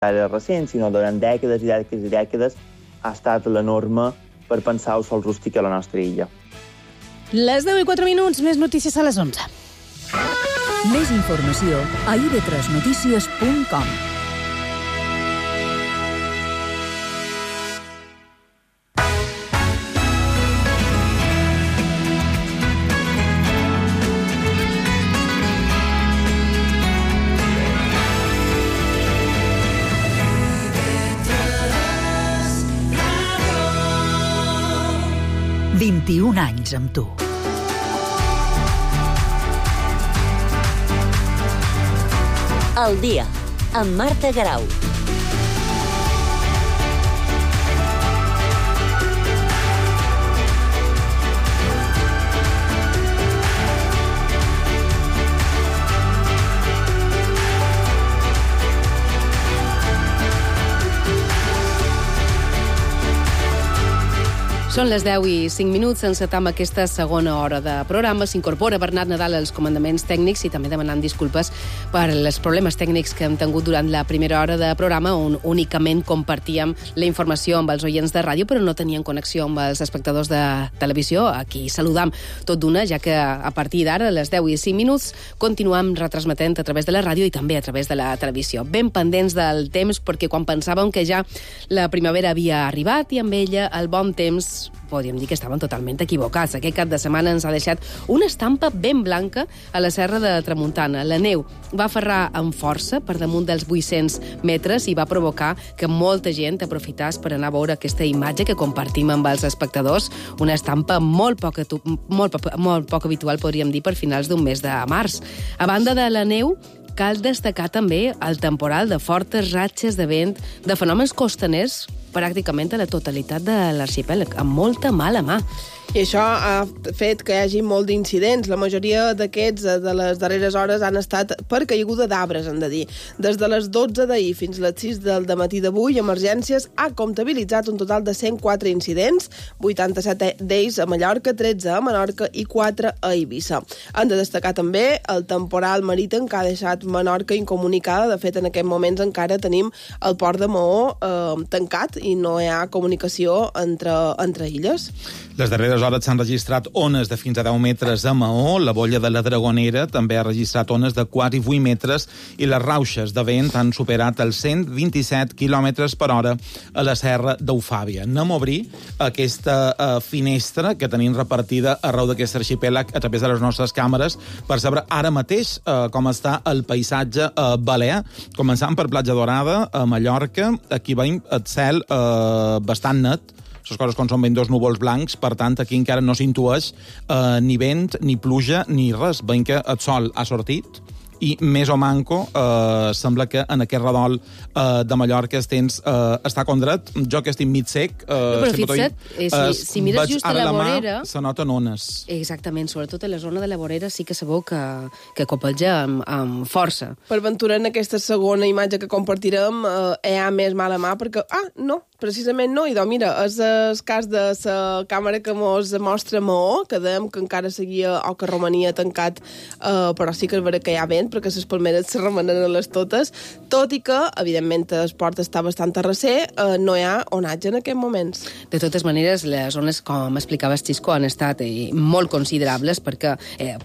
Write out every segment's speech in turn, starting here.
ara recent, sinó durant dècades i dècades i dècades ha estat la norma per pensar el sol rústic a la nostra illa. Les 10:04, més notícies a les 11. Més informació a ib3notícies.com. Un anys amb tu. El dia, amb Marta Garau. Són les 10:05, encetam aquesta segona hora de programa. S'incorpora Bernat Nadal als comandaments tècnics i també demanant disculpes per els problemes tècnics que hem tingut durant la primera hora de programa, on únicament compartíem la informació amb els oients de ràdio, però no tenien connexió amb els espectadors de televisió. Aquí saludam tot d'una, ja que a partir d'ara, a les 10:05, continuem retransmetent a través de la ràdio i també a través de la televisió. Ben pendents del temps, perquè quan pensàvem que ja la primavera havia arribat i amb ella el bon temps, podríem dir que estaven totalment equivocats. Aquest cap de setmana ens ha deixat una estampa ben blanca a la Serra de Tramuntana. La neu va aferrar amb força per damunt dels 800 metres i va provocar que molta gent aprofitàs per anar a veure aquesta imatge que compartim amb els espectadors, una estampa molt poc habitual, podríem dir, per finals d'un mes de març. A banda de la neu, cal destacar també el temporal de fortes ratxes de vent, de fenòmens costaners pràcticament a la totalitat de l'arxipèlag, amb molta mala mà. I això ha fet que hi hagi molt d'incidents. La majoria d'aquests de les darreres hores han estat per caiguda d'arbres, hem de dir. Des de les 12 d'ahir fins a les 6 del matí d'avui, Emergències ha comptabilitzat un total de 104 incidents, 87 d'ells a Mallorca, 13 a Menorca i 4 a Eivissa. Han de destacar també el temporal marítim que ha deixat Menorca incomunicada. De fet, en aquests moments encara tenim el port de Maó tancat i no hi ha comunicació entre illes. Les darreres hores s'han registrat ones de fins a 10 metres a Maó, la bolla de la Dragonera també ha registrat ones de quasi 8 metres i les rauxes de vent han superat els 127 km per hora a la serra d'Eufàbia. Anem a obrir aquesta finestra que tenim repartida arreu d'aquest arxipèlag a través de les nostres càmeres per saber ara mateix com està el paisatge balear. Començant per Platja Dorada, a Mallorca, aquí veiem el cel bastant net, les coses com són ben dos núvols blancs, per tant, aquí encara no s'intueix ni vent, ni pluja, ni res. Veiem que el sol ha sortit i més o manco sembla que en aquest redol de Mallorca el temps està condret. Jo que estic mig sec... Però fixa't, si mires just a la vorera... Se noten ones. Exactament, sobretot a la zona de la vorera sí que sabeu que copelja amb força. Per ventura, en aquesta segona imatge que compartirem hi ha més mala mà perquè... no, precisament no. I doncs, mira, és el cas de la càmera que mos mostra Maó, que dèiem que encara seguia o que romania tancat, però sí que és vera que hi ha vent, perquè les palmeres se remenen a les totes, tot i que, evidentment, el port està bastant a recer, no hi ha onatge en aquests moments. De totes maneres, les zones, com explicaves, Xisco, han estat molt considerables, perquè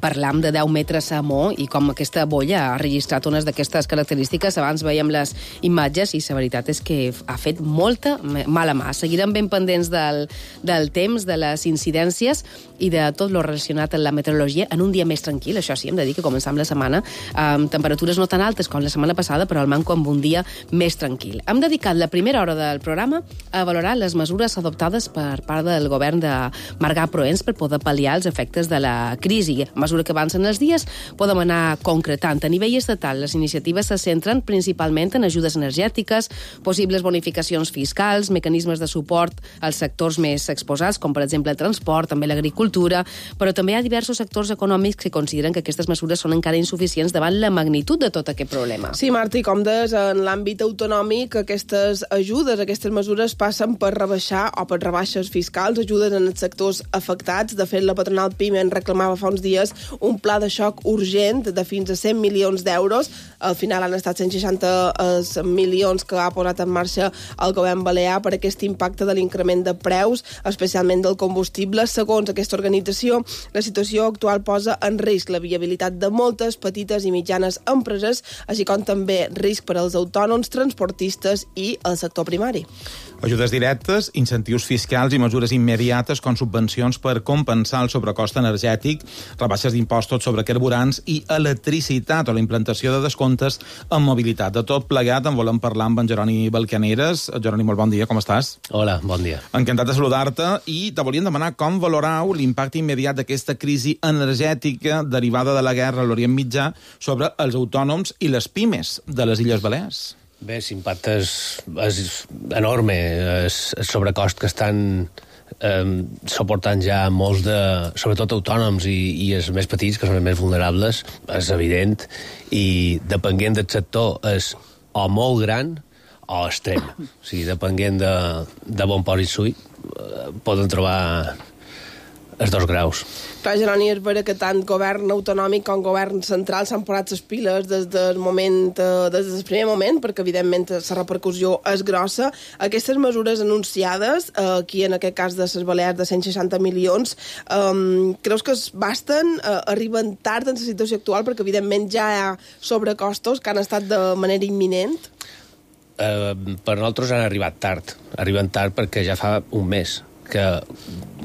parlam de 10 metres a Maó i com aquesta bolla ha registrat unes d'aquestes característiques. Abans veiem les imatges i la veritat és que ha fet molta mala mà. Seguirem ben pendents del temps, de les incidències i de tot lo relacionat amb la meteorologia en un dia més tranquil. Això sí, hem de dir que començam la setmana amb temperatures no tan altes com la setmana passada, però al manco amb un dia més tranquil. Hem dedicat la primera hora del programa a valorar les mesures adoptades per part del govern de Marga Proens per poder pal·liar els efectes de la crisi. A mesura que avancen els dies, podem anar concretant. A nivell estatal, les iniciatives se centren principalment en ajudes energètiques, possibles bonificacions fiscals, fiscals, mecanismes de suport als sectors més exposats, com per exemple el transport, també l'agricultura, però també hi ha diversos sectors econòmics que consideren que aquestes mesures són encara insuficients davant la magnitud de tot aquest problema. Sí, Marta, i com deies, en l'àmbit autonòmic aquestes ajudes, aquestes mesures passen per rebaixar o per rebaixes fiscals, ajudes en els sectors afectats. De fet, la patronal PIME en reclamava fa uns dies un pla de xoc urgent de fins a 100 milions d'euros. Al final han estat 160 milions que ha posat en marxa el govern balear per aquest impacte de l'increment de preus, especialment del combustible. Segons aquesta organització, la situació actual posa en risc la viabilitat de moltes petites i mitjanes empreses, així com també risc per als autònoms, transportistes i el sector primari. Ajudes directes, incentius fiscals i mesures immediates com subvencions per compensar el sobrecost energètic, rebaixes d'impostos sobre carburants i electricitat o la implantació de descomptes en mobilitat. De tot plegat en volem parlar amb en Jeroni Balcaneres. Jeroni, molt bon dia, com estàs? Hola, bon dia. Encantat de saludar-te i te volíem demanar com valorau l'impacte immediat d'aquesta crisi energètica derivada de la guerra a l'Orient Mitjà sobre els autònoms i les pimes de les Illes Balears. Bé, l'impacte és enorme, és sobrecost que estan suportant ja molts sobretot autònoms i els més petits, que són els més vulnerables, és evident, i depenent del sector és o molt gran o extrem. O sigui, depenent de bon port i suï, poden trobar els 2 graus. Clar, Jeroni, és vera que tant govern autonòmic com govern central s'han posat les piles des del primer moment, perquè evidentment la repercussió és grossa. Aquestes mesures anunciades, aquí en aquest cas de les Balears de 160 milions, creus que es basten, arriben tard en la situació actual, perquè evidentment ja hi ha sobrecostos que han estat de manera imminent? Per nosaltres han arribat tard. Arriben tard perquè ja fa un mes que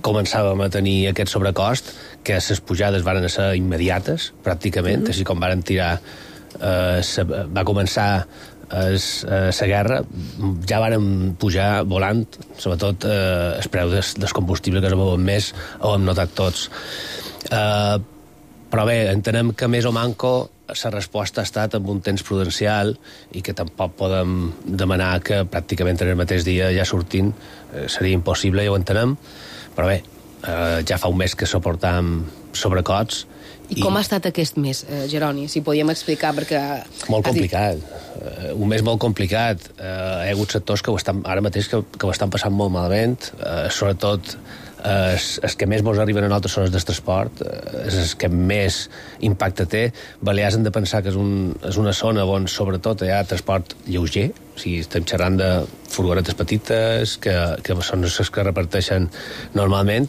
començàvem a tenir aquest sobrecost, que les pujades van ser immediates, pràcticament, així com van tirar, va començar la guerra, ja varen pujar volant, sobretot el preu del combustible, que es veuen més, ho hem notat tots. Però bé, entenem que més o manco la resposta ha estat amb un temps prudencial i que tampoc podem demanar que pràcticament en el mateix dia ja sortin. Seria impossible, ja ho entenem, però bé, ja fa un mes que suportam sobrecots. I com ha estat aquest mes, Jeroni? Si podíem explicar, perquè... Molt complicat. Un mes molt complicat. Hi ha hagut sectors que ara mateix que ho estan passant molt malament, sobretot els que més mos arriben a nosaltres són els del transport, és els que més impacte té. Balears hem de pensar que és una zona on sobretot hi ha transport lleuger, o sigui, estem xerrant de furgonetes petites que són les que reparteixen normalment,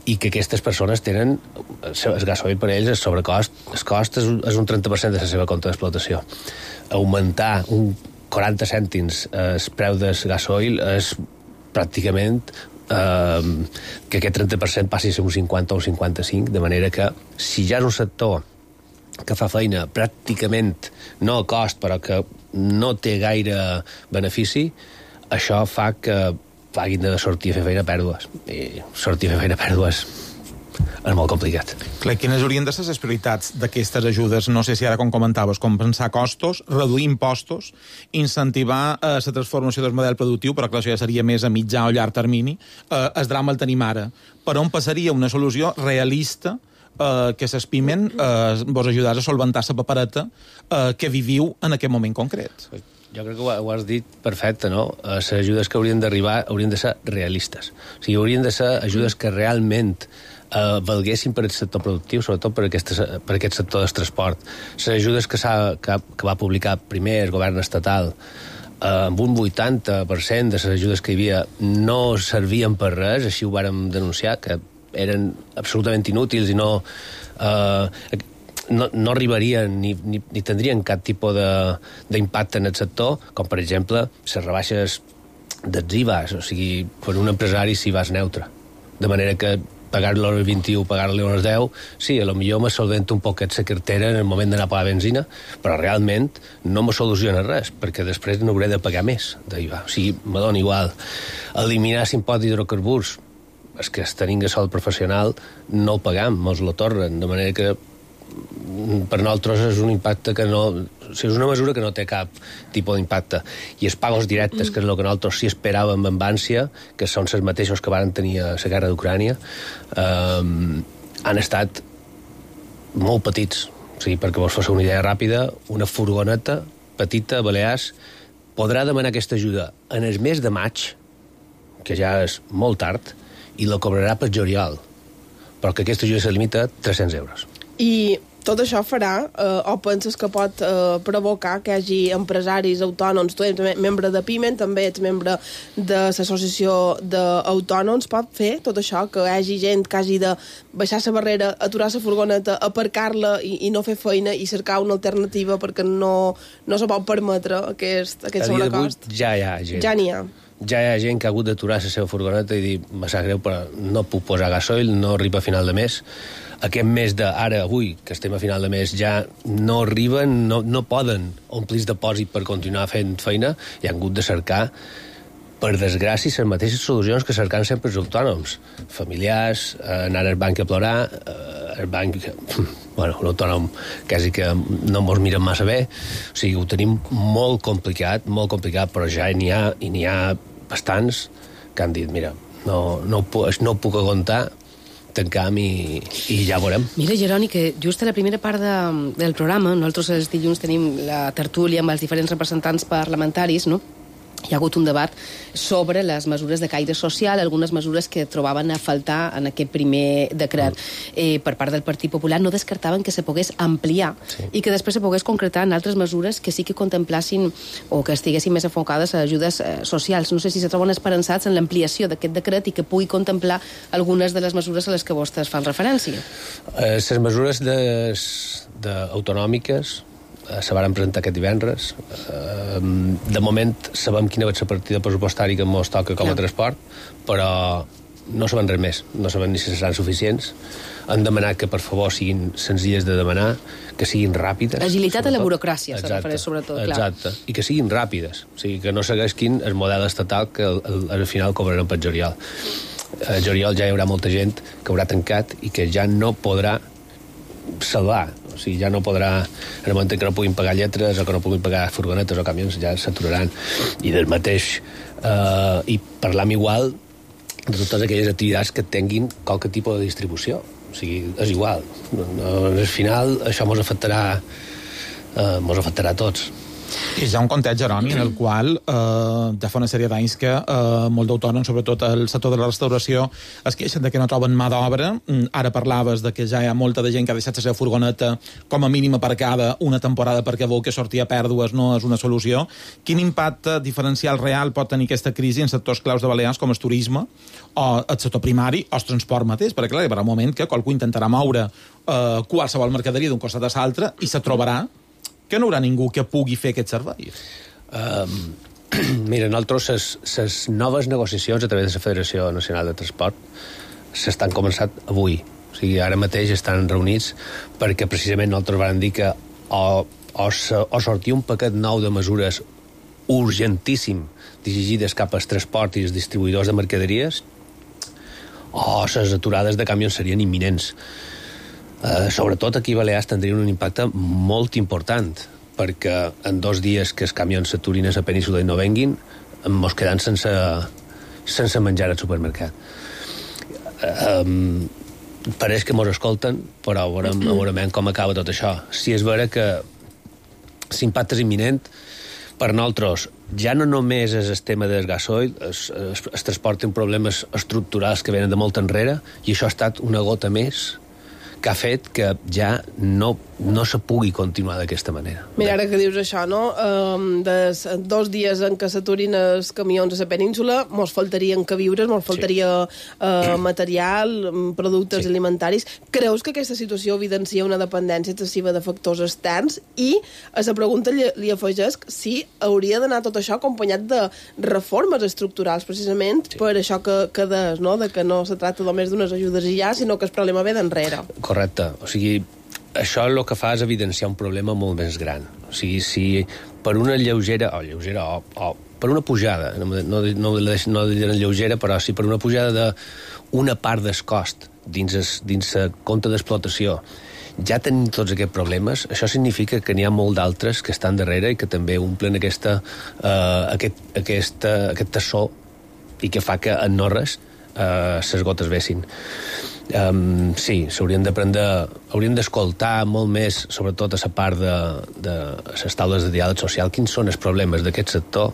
i que aquestes persones tenen el gasoil per ells, el sobrecost, el cost és un 30% de la seva compte d'explotació. Augmentar un 40 cèntims el preu del gasoil és pràcticament que aquest 30% passi a ser un 50 o un 55, de manera que si ja és un sector que fa feina pràcticament no a cost, però que no té gaire benefici, això fa que hagin de sortir a fer feina a pèrdues. I sortir a fer feina a pèrdues és molt complicat. Clar, quines haurien de ser les prioritats d'aquestes ajudes? No sé si ara, com comentaves, compensar costos, reduir impostos, incentivar la transformació del model productiu, però clar, això ja seria més a mitjà o llarg termini. El drama el tenim ara. Per on passaria una solució realista que s'espimen vos ajudar a solventar la papereta que viviu en aquest moment concret? Jo crec que ho has dit perfecte, no? Les ajudes que haurien d'arribar haurien de ser realistes. O sigui, haurien de ser ajudes que realment valguessin per el sector productiu, sobretot per aquest sector del transport. Les ajudes que va publicar primer el govern estatal, amb un 80% de les ajudes que hi havia no servien per res, així ho vàrem denunciar, que eren absolutament inútils i no arribarien ni tindrien cap tipus d'impacte en el sector, com per exemple les rebaixes dels IVAs, o sigui, per un empresari si vas neutre. De manera que pagar-li l'hora 21, pagar-li l'hora 10, sí, potser me solventa un poquet la cartera en el moment d'anar a pagar benzina, però realment no me soluciona res, perquè després no hauré de pagar més d'IVA. O sigui, me dona igual. Eliminar l'impost d'hidrocarburs, és que tenim sòl professional, no el pagam, mos lo tornen, de manera que per nosaltres és un impacte que no... O sigui, és una mesura que no té cap tipus d'impacte. I els pagos directes, que és el que nosaltres sí esperàvem amb ànsia, que són els mateixos que van tenir a la guerra d'Ucrània, han estat molt petits. O sigui, perquè vos fos una idea ràpida, una furgoneta petita a Balears podrà demanar aquesta ajuda en el mes de maig, que ja és molt tard, i la cobrarà per juliol, però que aquesta ajuda se limita a 300 euros. I tot això farà, o penses que pot provocar que hi hagi empresaris autònoms, tu ets membre de PIMEN, també ets membre de l'associació d'autònoms, pot fer tot això, que hi hagi gent que hagi de baixar la barrera, aturar la furgoneta, aparcar-la i no fer feina i cercar una alternativa perquè no se pot permetre aquest sobrecost? Ja hi ha gent. Ja n'hi ha. Ja hi ha gent que ha hagut d'aturar la seva furgoneta i dir, me sap greu, però no puc posar gasoil, no arriba a final de mes. Aquest mes d'ara, avui, que estem a final de mes, ja no arriben, no poden omplir el depòsit per continuar fent feina i han hagut de cercar, per desgràcia, les mateixes solucions que cercant sempre els autònoms. Familiars, anar al banc a plorar, el banc... Bueno, l'autònom quasi que no mos miren massa bé. O sigui, ho tenim molt complicat, però ja n'hi ha bastants que han dit, mira, no puc aguantar, tancam i ja veurem. Mira, Jeroni, que just a la primera part del programa, nosaltres els dilluns tenim la tertúlia amb els diferents representants parlamentaris, no? Hi ha hagut un debat sobre les mesures de caire social, algunes mesures que trobaven a faltar en aquest primer decret. Per part del Partit Popular no descartaven que se pogués ampliar i que després se pogués concretar en altres mesures que sí que contemplassin o que estiguessin més enfocades a ajudes socials. No sé si se troben esperançats en l'ampliació d'aquest decret i que pugui contemplar algunes de les mesures a les que vostès fan referència. Les mesures autonòmiques se van presentar aquest divendres. De moment sabem quina va ser la partida pressupostària que ens toca com a transport, però no sabem res més, no sabem ni si seran suficients. Han demanat que per favor siguin senzilles de demanar, que siguin ràpides. Agilitat a la burocràcia, se refereix sobretot, clar. Exacte, i que siguin ràpides, o sigui, que no segueixin el model estatal que al final cobraran per juliol. A juliol ja hi haurà molta gent que haurà tancat i que ja no podrà salvar, o sigui, ja no podrà, en el moment que no puguin pagar lletres o que no puguin pagar furgonetes o camions, ja s'aturaran. I del mateix, i parlam igual de totes aquelles activitats que tinguin qualque tipus de distribució. O sigui, és igual. Al final, això ens afectarà a tots. I hi ha un context, Jeroni, en el qual ja fa una sèrie d'anys que molt d'autònoms, sobretot el sector de la restauració, es queixen de que no troben mà d'obra. Ara parlaves de que ja hi ha molta de gent que ha deixat la seva furgoneta com a mínim aparcada una temporada perquè vol que sortir a pèrdues no és una solució. Quin impacte diferencial real pot tenir aquesta crisi en sectors claus de Balears com el turisme o el sector primari o el transport mateix? Perquè clar, hi haurà un moment que qualcú intentarà moure qualsevol mercaderia d'un costat a l'altre i se trobarà que no hi haurà ningú que pugui fer aquest servei. Mira, nosaltres les noves negociacions a través de la Federació Nacional de Transport s'estan començant avui. O sigui, ara mateix estan reunits perquè precisament nosaltres vam dir que o sortir un paquet nou de mesures urgentíssim dirigides cap al transport i els distribuïdors de mercaderies o les aturades de camions serien imminents. Sobretot aquí a Balears tindrien un impacte molt important, perquè en 2 dies que els camions s'aturin a la península i no venguin, ens quedem sense menjar al supermercat. Pareix que ens escolten, però veurem com acaba tot això. Si és vera que l'impacte és imminent, per nosaltres ja no només és el tema del gasoil, es transporten problemes estructurals que venen de molt enrere, i això ha estat una gota més que ha fet que ja no se pugui continuar d'aquesta manera. Mira, ara que dius això, no? Des 2 dies en què s'aturin els camions a la península, mos faltarien queviures, mos faltaria material, productes alimentaris. Creus que aquesta situació evidencia una dependència excessiva de factors externs? I a la pregunta li afegeix si hauria d'anar tot això acompanyat de reformes estructurals, precisament per això que des, no? De que no se tracta només d'unes ajudes i ja, sinó que el problema ve d'enrere. Correcte. O sigui, això el que fa és evidenciar un problema molt més gran. O sigui, si per una lleugera o per una pujada, no diré lleugera, però si per una pujada d'una part del cost dins el compte d'explotació ja tenim tots aquests problemes, això significa que n'hi ha molt d'altres que estan darrere i que també omplen aquest tassó i que fa que en no res les gotes vessin. Sí, hauríem d'escoltar molt més, sobretot a la part de les taules de diàleg social, quins són els problemes d'aquest sector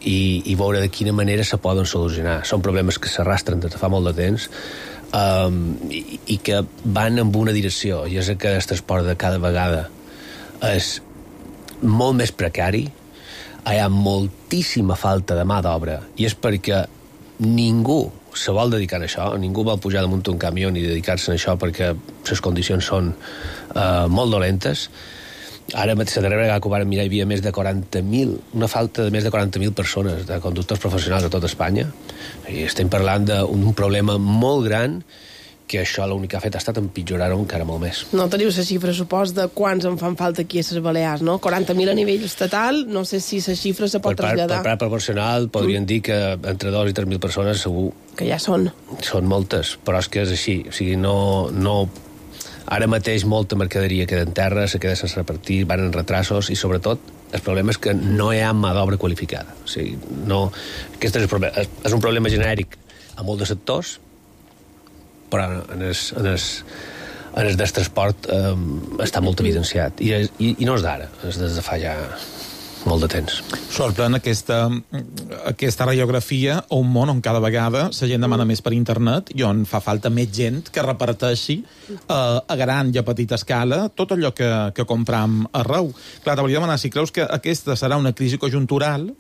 i veure de quina manera se poden solucionar. Són problemes que s'arrastren des de fa molt de temps i que van en una direcció, i és que el transport de cada vegada és molt més precari, hi ha moltíssima falta de mà d'obra, i és perquè ningú se vol dedicar a això, ningú vol pujar damunt un camió ni dedicar-se a això perquè les condicions són molt dolentes. Ara mateix, la darrera vegada que ho vam mirar, hi havia més de 40.000, una falta de més de 40.000 persones, de conductors professionals a tot Espanya, i estem parlant d'un problema molt gran que això l'únic que ha fet ha estat empitjorar-ho encara molt més. No teniu la xifra, supos, de quants en fan falta aquí a les Balears, no? 40.000 a nivell estatal, no sé si la xifra se pot traslladar. Per part proporcional podrien dir que entre 2 i 3.000 persones segur... Que ja són. Són moltes, però és que és així. O sigui, no... Ara mateix molta mercaderia queda en terra, se queda sense repartir, van en retrasos i, sobretot, el problema és que no hi ha mà d'obra qualificada. O sigui, no... Aquest és el problema. És un problema genèric a molts de sectors, però en el del transport està molt evidenciat. I no és d'ara, és des de fa ja molt de temps. Sorprèn aquesta radiografia a un món on cada vegada la gent demana més per internet i on fa falta més gent que reparteixi a gran i a petita escala tot allò que compram arreu. Clar, t'hauria de demanar si creus que aquesta serà una crisi conjuntural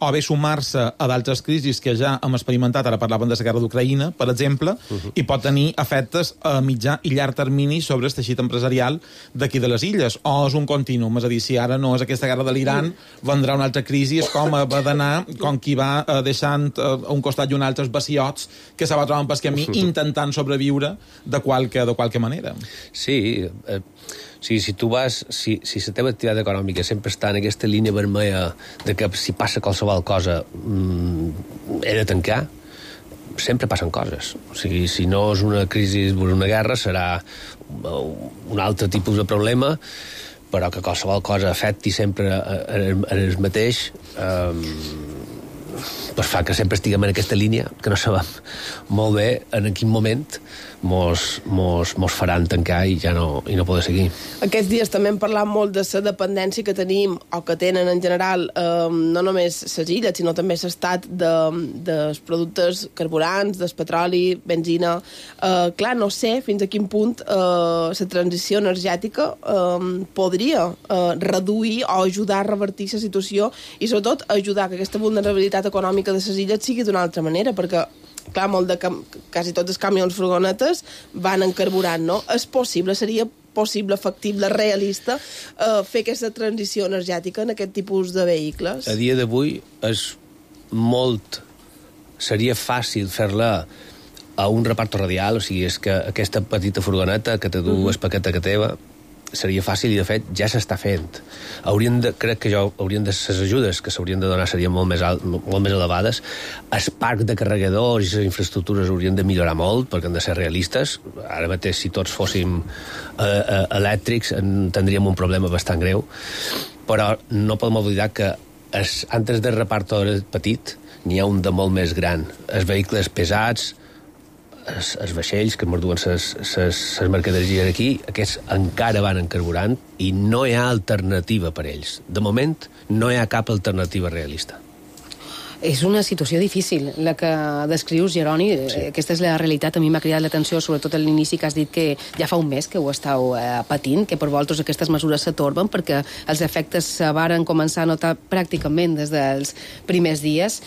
o bé sumar-se a d'altres crisis que ja hem experimentat, ara parlaven de la guerra d'Ucraïna, per exemple, i pot tenir efectes a mitjà i llarg termini sobre el teixit empresarial d'aquí de les illes, o és un continuum, és a dir, si ara no és aquesta guerra de l'Iran, vendrà una altra crisi, és com va d'anar, com qui va deixant a un costat i un altre els vaciots que se va trobant pel camí intentant sobreviure de qualque manera. Sí, si tu vas, si la teva activitat econòmica sempre està en aquesta línia vermella de que si passa qualsevol cosa he de tancar, sempre passen coses. O sigui, si no és una crisi o una guerra, serà un altre tipus de problema, però que qualsevol cosa afecti sempre el mateix, pues fa que sempre estiguem en aquesta línia, que no sabem molt bé en quin moment mos faran tancar i ja no poder seguir. Aquests dies també hem parlat molt de la dependència que tenim, o que tenen en general, no només les illes, sinó també l'estat dels productes carburants, del petroli, benzina. Clar, no sé fins a quin punt la transició energètica podria reduir o ajudar a revertir la situació i, sobretot, ajudar que aquesta vulnerabilitat econòmica de les illes sigui d'una altra manera, perquè clar, quasi tots els camions furgonetes van en carburant, no? És possible, seria possible, factible, realista fer aquesta transició energètica en aquest tipus de vehicles? A dia d'avui seria fàcil fer-la a un reparto radial, o sigui, és que aquesta petita furgoneta que te du el paquet que teva seria fàcil i, de fet, ja s'està fent. Crec que les ajudes que s'haurien de donar serien molt més elevades. El parc de carregadors i les infraestructures haurien de millorar molt, perquè han de ser realistes. Ara mateix, si tots fóssim elèctrics, tindríem un problema bastant greu. Però no podem oblidar que antes del reparto petit n'hi ha un de molt més gran. Els vehicles pesats, els vaixells que morduen les mercaderies aquí, aquests encara van en carburant i no hi ha alternativa per ells. De moment, no hi ha cap alternativa realista. És una situació difícil, la que descrius, Jeroni. Sí. Aquesta és la realitat. A mi m'ha cridat l'atenció, sobretot a l'inici, que has dit que ja fa un mes que ho estàu patint, que per vosaltres aquestes mesures s'atorben, perquè els efectes se varen començar a notar pràcticament des dels primers dies.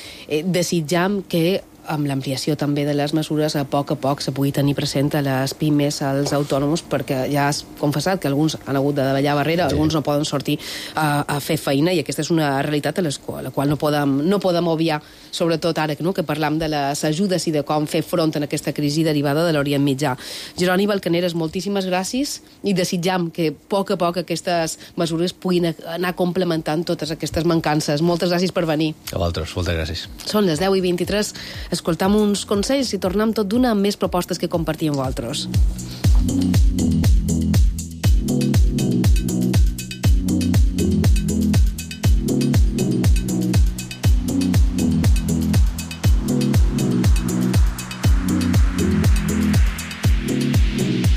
Desitjam que amb l'ampliació també de les mesures a poc se pugui tenir present a les pimes, als autònoms, perquè ja has confessat que alguns han hagut de davallar barrera, alguns no poden sortir a fer feina, i aquesta és una realitat a la qual no podem obviar, sobretot ara que parlam de les ajudes i de com fer front en aquesta crisi derivada de l'Orient Mitjà. Jeroni Balcaneres, moltíssimes gràcies i desitjam que a poc aquestes mesures puguin anar complementant totes aquestes mancances. Moltes gràcies per venir. A vosaltres, moltes gràcies. Són les 10:23. Escoltam uns consells i tornem tot d'una amb més propostes que compartir amb vosaltres.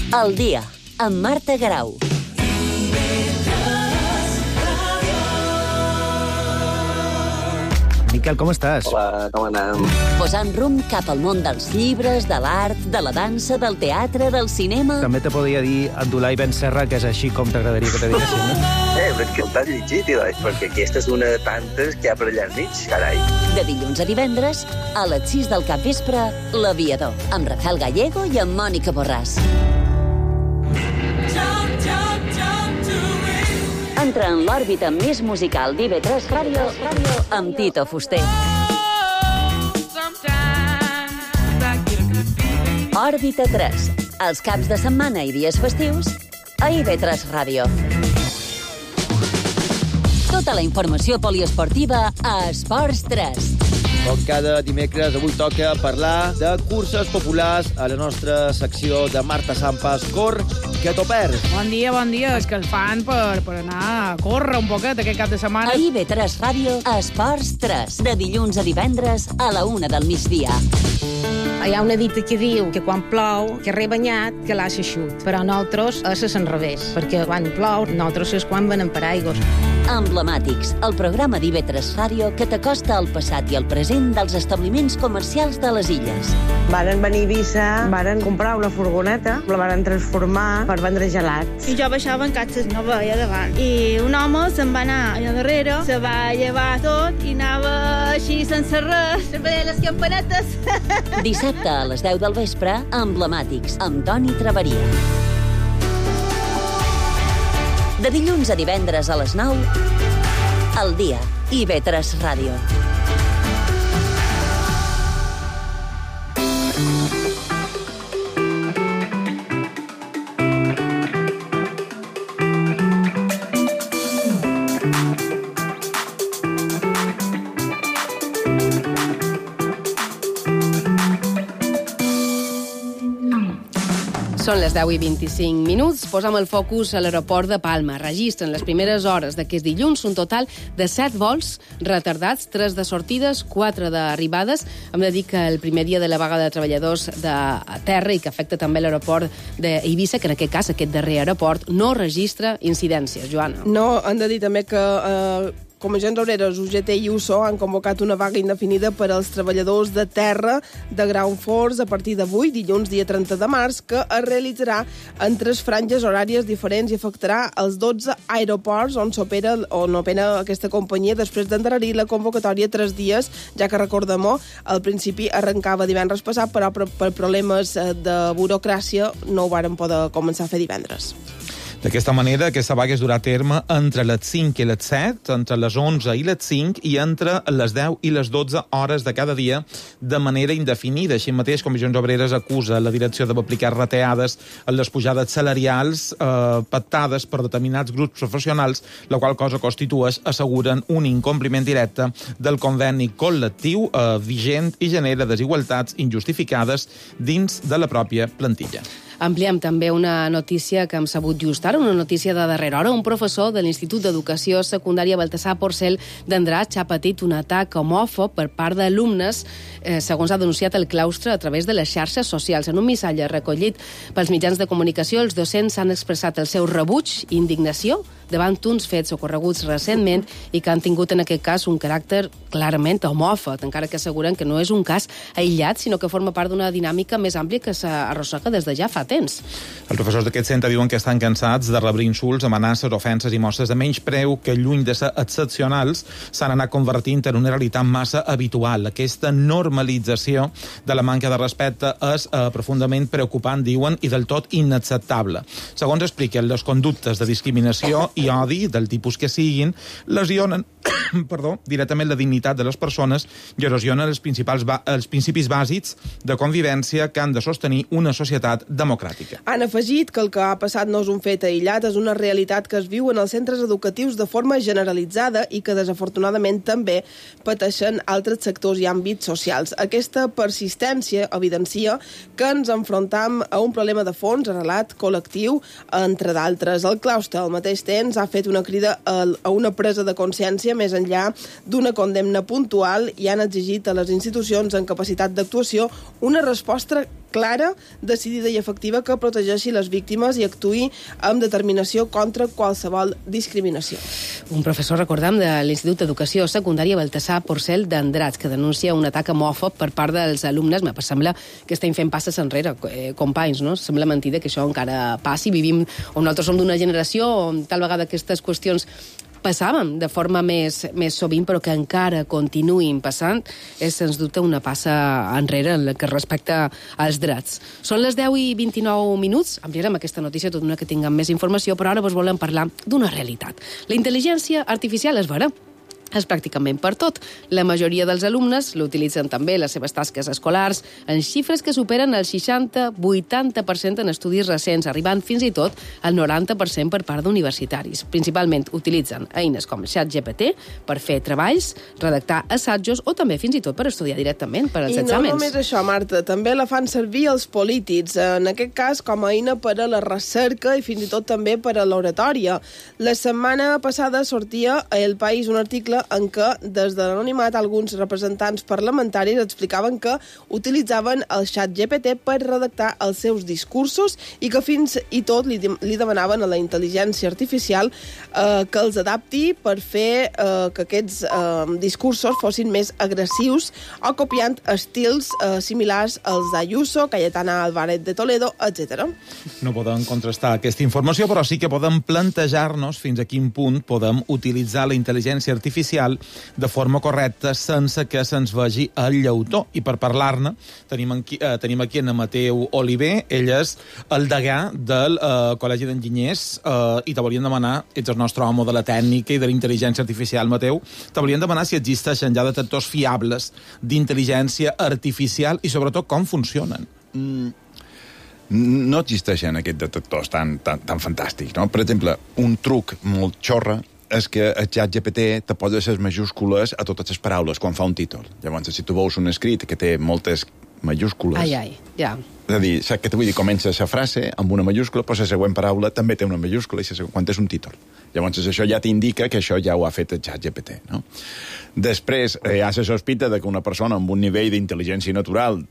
El dia, amb Marta Grau. Miquel, com estàs? Hola, com anem? Posant rumb cap al món dels llibres, de l'art, de la dansa, del teatre, del cinema... També te podria dir Abdullah Ibn Serra, que és així com t'agradaria que te diguessin, no? Però és que el t'has llegit, perquè aquesta és una de tantes que hi ha per allà enmig, carai. De dilluns a divendres, a les 6 del capvespre, L'Aviador, amb Rafael Gallego i amb Mònica Borràs. Entra en l'òrbita més musical d'IV3 Ràdio amb Tito Fuster. Òrbita 3, els caps de setmana i dies festius a IV3 Ràdio. Tota la informació poliesportiva a Esports 3. Com cada dimecres, avui toca parlar de curses populars a la nostra secció de Marta Sampas. Cor, que t'ho perds. Bon dia, és que el fan per anar a córrer un poquet aquest cap de setmana. A IV3 Ràdio, Esports 3, de dilluns a divendres a la 1 del migdia. Hi ha una dita que diu que quan plou, que rebanyat, que l'ha eixut. Però nosaltres és l'enrevés, perquè quan plou, nosaltres és quan venen per aigües. Emblemàtics, el programa d'IV3 Ràdio que t'acosta al passat i al present dels establiments comercials de les illes. Varen venir a Eivissa, varen comprar una furgoneta, la varen transformar per vendre gelats. I jo baixava en catxes, no veia davant. I un home se'n va anar allà darrere, se va llevar tot i anava així sense res, veia les campanetes. Dissabte a les 10 del vespre, Emblemàtics, amb Toni Traveria. De dilluns a divendres a les 9, El dia, IV3 Ràdio. Són les 10:25. Posam el focus a l'aeroport de Palma. Registren les primeres hores d'aquest dilluns un total de 7 vols retardats, 3 de sortides, 4 d'arribades. Hem de dir que el primer dia de la vaga de treballadors de terra i que afecta també l'aeroport d'Eivissa, que en aquest cas aquest darrer aeroport no registra incidències. Joana. No, hem de dir també que Comissions Obreres, UGT i USO han convocat una vaga indefinida per als treballadors de terra de Ground Force a partir d'avui, dilluns, dia 30 de març, que es realitzarà en 3 franges horàries diferents i afectarà els 12 aeroports on opera aquesta companyia després d'endarrerir la convocatòria 3 dies, ja que recordem-ho, al principi arrencava divendres passat, però per problemes de burocràcia no ho varen poder començar a fer divendres. D'aquesta manera, aquesta vaga es durà a terme entre les 5 i les 7, entre les 11 i les 5 i entre les 10 i les 12 hores de cada dia de manera indefinida. Així mateix, Comissions Obreres acusa la direcció d'aplicar reteades en les pujades salarials pactades per determinats grups professionals, la qual cosa constitueix, asseguren, un incompliment directe del conveni col·lectiu vigent i genera desigualtats injustificades dins de la pròpia plantilla. Ampliem també una notícia que hem sabut just ara, una notícia de darrera hora. Un professor de l'Institut d'Educació Secundària Baltasar Porcel d'Andratx ha patit un atac homòfob per part d'alumnes, segons ha denunciat el claustre a través de les xarxes socials. En un missatge recollit pels mitjans de comunicació, els docents han expressat el seu rebuig i indignació davant uns fets ocorreguts recentment i que han tingut en aquest cas un caràcter clarament homòfob, encara que asseguren que no és un cas aïllat, sinó que forma part d'una dinàmica més àmplia que s'arrossega des de ja fa temps. Els professors d'aquest centre diuen que estan cansats de rebre insults, amenaces, ofenses i mostres de menyspreu que, lluny de ser excepcionals, s'han anat convertint en una realitat massa habitual. Aquesta normalització de la manca de respecte és profundament preocupant, diuen, i del tot inacceptable. Segons expliquen, les conductes de discriminació i odi, del tipus que siguin, lesionen directament la dignitat de les persones i erosionen els principis bàsics de convivència que han de sostenir una societat democràtica. Han afegit que el que ha passat no és un fet aïllat, és una realitat que es viu en els centres educatius de forma generalitzada i que desafortunadament també pateixen altres sectors i àmbits socials. Aquesta persistència evidencia que ens enfrontam a un problema de fons arrelat col·lectiu, entre d'altres. El claustre, al mateix temps, ha fet una crida a una presa de consciència més enllà d'una condemna puntual i han exigit a les institucions en capacitat d'actuació una resposta clara, decidida i efectiva que protegeixi les víctimes i actuï amb determinació contra qualsevol discriminació. Un professor, recordem, de l'Institut d'Educació Secundària Baltasar Porcel d'Andratx, que denuncia un atac homòfob per part dels alumnes. Me sembla que estem fent passes enrere, companys, no? Sembla mentida que això encara passi. Vivim on nosaltres som d'una generació on tal vegada aquestes qüestions passàvem de forma més sovint, però que encara continuïn passant, és, sens dubte, una passa enrere en el que respecta als drets. Són les 10:29. Ampliarem aquesta notícia tot una que tinguem més informació, però ara vos volem parlar d'una realitat. La intel·ligència artificial és vera. És pràcticament per tot. La majoria dels alumnes l'utilitzen també en les seves tasques escolars, en xifres que superen el 60-80% en estudis recents, arribant fins i tot al 90% per part d'universitaris. Principalment utilitzen eines com ChatGPT per fer treballs, redactar assajos o també fins i tot per estudiar directament per als exàmens. I no només això, Marta, també la fan servir els polítics, en aquest cas com a eina per a la recerca i fins i tot també per a l'oratòria. La setmana passada sortia a El País un article en què, des de l'anonimat, alguns representants parlamentaris explicaven que utilitzaven el ChatGPT per redactar els seus discursos i que fins i tot li demanaven a la intel·ligència artificial que els adapti per fer que aquests discursos fossin més agressius o copiant estils similars als d'Ayuso, Cayetana Álvarez de Toledo, etc. No podem contrastar aquesta informació, però sí que podem plantejar-nos fins a quin punt podem utilitzar la intel·ligència artificial de forma correcta sense que se'ns vegi el llautó. I per parlar-ne tenim aquí en Mateu Oliver. Ell és el degà del Col·legi d'Enginyers i te volíem demanar, ets el nostre home de la tècnica i de la intel·ligència artificial, Mateu, te volíem demanar si existeixen ja detectors fiables d'intel·ligència artificial i sobretot com funcionen. No existeixen aquests detectors tan fantàstics, no? Per exemple, un truc molt xorra és que el ChatGPT te posa les majúscules a totes les paraules quan fa un títol. Llavors, si tu veus un escrit que té moltes majúscules... ja. És a dir, saps què t'ho vull dir? Comença la frase amb una majúscula, però la següent paraula també té una majúscula quan és un títol. Llavors, això ja t'indica que això ja ho ha fet el ChatGPT, no? Després, hi ha la sospita de que una persona amb un nivell d'intel·ligència natural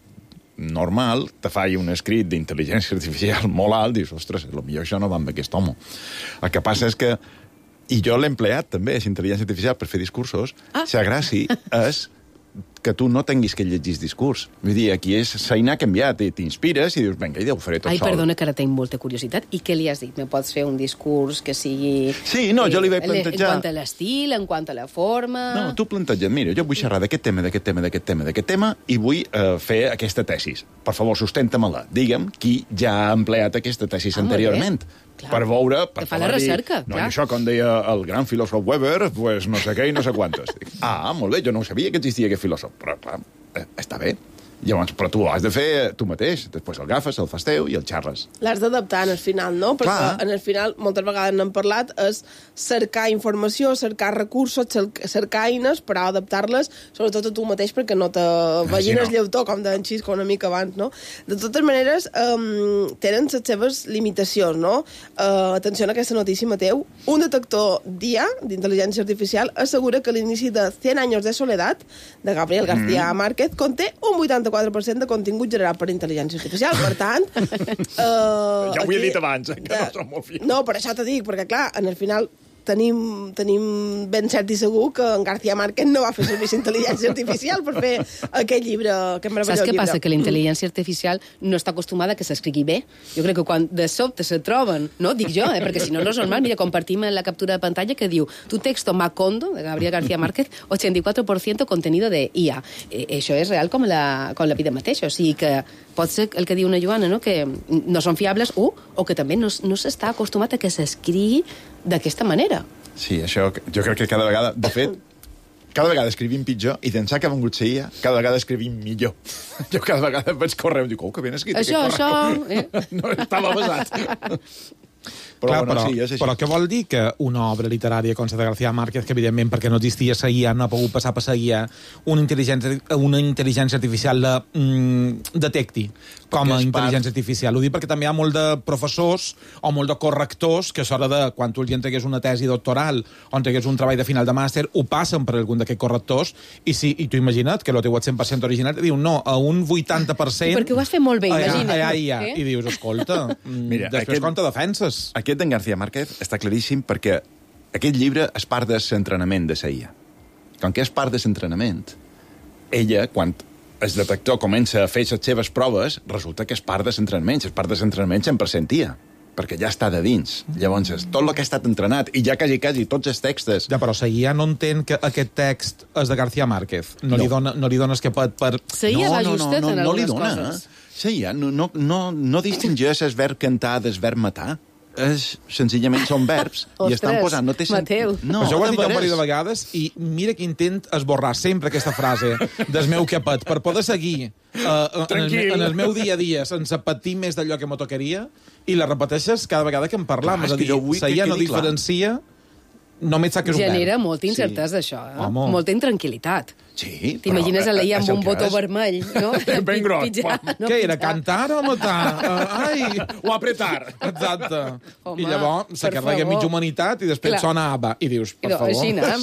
normal te faci un escrit d'intel·ligència artificial molt alt, dius, ostres, potser això no va amb aquest home. El que passa és que i jo l'he empleat també, la intel·ligència artificial, per fer discursos. La gràcia és que tu no tinguis que llegir discurs. Vull dir, aquí s'eina ha canviat, i t'inspires i dius, vinga, ja ho faré tot sol. Perdona, que ara tinc molta curiositat. I què li has dit? Me pots fer un discurs que sigui... Sí, no, jo li vaig plantejar... En quant a l'estil, en quant a la forma... No, tu planteja't, mira, jo vull xerrar d'aquest tema, i vull fer aquesta tesis. Per favor, sustenta-me-la. Digue'm qui ja ha empleat aquesta tesis anteriorment. Per veure... Que fa la recerca, clar. No, això, com deia el gran filòsof Weber, pues no sé què i no sé quantes. Molt bé, jo no sabia que existia aquest filòsof, però clar, està bé. Llavors, però tu ho has de fer tu mateix. Després el agafes, el fas teu i el xerres. L'has d'adaptar en el final, no? Perquè en el final, moltes vegades n'hem parlat, és cercar informació, cercar recursos, cercar eines per adaptar-les, sobretot a tu mateix, perquè no te vegin el lleutó, com deien Xisco una mica abans, no? De totes maneres, tenen les seves limitacions, no? Atenció a aquesta notícia, Mateu. Un detector d'IA, d'intel·ligència artificial, assegura que l'inici de 100 anys de soledat, de Gabriel García Márquez, conté un 84% de contingut generat per intel·ligència artificial. Per tant... ja ho he dit abans, que no som molt fiats. No, per això t'ho dic, perquè, clar, en el final tenim ben cert i segur que en García Márquez no va fer servir intel·ligència artificial per fer aquest llibre, aquest meravellós llibre. Saps què passa? Que la intel·ligència artificial no està acostumada a que s'escrigui bé. Jo crec que quan de sobte se troben, no? Dic jo, perquè si no, no és normal. Mira, compartim la captura de pantalla que diu tu texto Macondo, de Gabriel García Márquez, 84% contenido de IA. Això és real com la vida mateixa. O sigui que pot ser el que diu una Joana, no? Que no són fiables, o que també no s'està acostumat a que s'escrigui d'aquesta manera. Sí, això jo crec que cada vegada... De fet, cada vegada escrivim pitjor i d'ençà que ha vengut ser IA, cada vegada escrivim millor. Jo cada vegada vaig correu i dic, que ben escrit. Això... No estava basat. Però, Clar, sí, és així. però què vol dir que una obra literària com la de García Márquez, que evidentment perquè no existia la IA, no ha pogut passar per la IA, una intel·ligència artificial detecti com a intel·ligència artificial? Ho dic perquè també hi ha molt de professors o molt de correctors que a l'hora de, quan tu els entregués una tesi doctoral o entregués un treball de final de màster, ho passen per algun d'aquests correctors i tu imagina't que el teu 100% original i diu no, a un 80%... Perquè ho has fet molt bé, imagina't. I dius, escolta, mira, després com te defenses? Aquest d'en García Márquez està claríssim perquè aquest llibre és part de l'entrenament de la IA. Com que és part de l'entrenament, ella, quan el detector comença a fer les seves proves, resulta que és part de l'entrenament. És part de l'entrenament 100% IA, perquè ja està de dins. Llavors, tot el que ha estat entrenat, i ja quasi tots els textos... Ja, però la IA no entén que aquest text és de García Márquez. No li dones que per... La IA va justet en algunes coses. La IA no distingeix el verb cantar del verb matar. Senzillament són verbs i estan posant... No té Mateu. No, això ho has dit un parell de vegades i mira que intent esborrar sempre aquesta frase del meu capet per poder seguir en el meu dia a dia sense patir més d'allò que m'ho tocaria i la repeteixes cada vegada que en parlam. És a dir, la IA no diferencia... Només sap que és un verb. Genera molta incertesa, això. Molta intranquil·litat. Sí, t'imagines a l'Ia amb un botó vermell, no? Ben gros. Què era, cantar o matar? O apretar. Exacte. I llavors se carrega mitja humanitat i després sona ABBA. I dius, per favor... Així anem.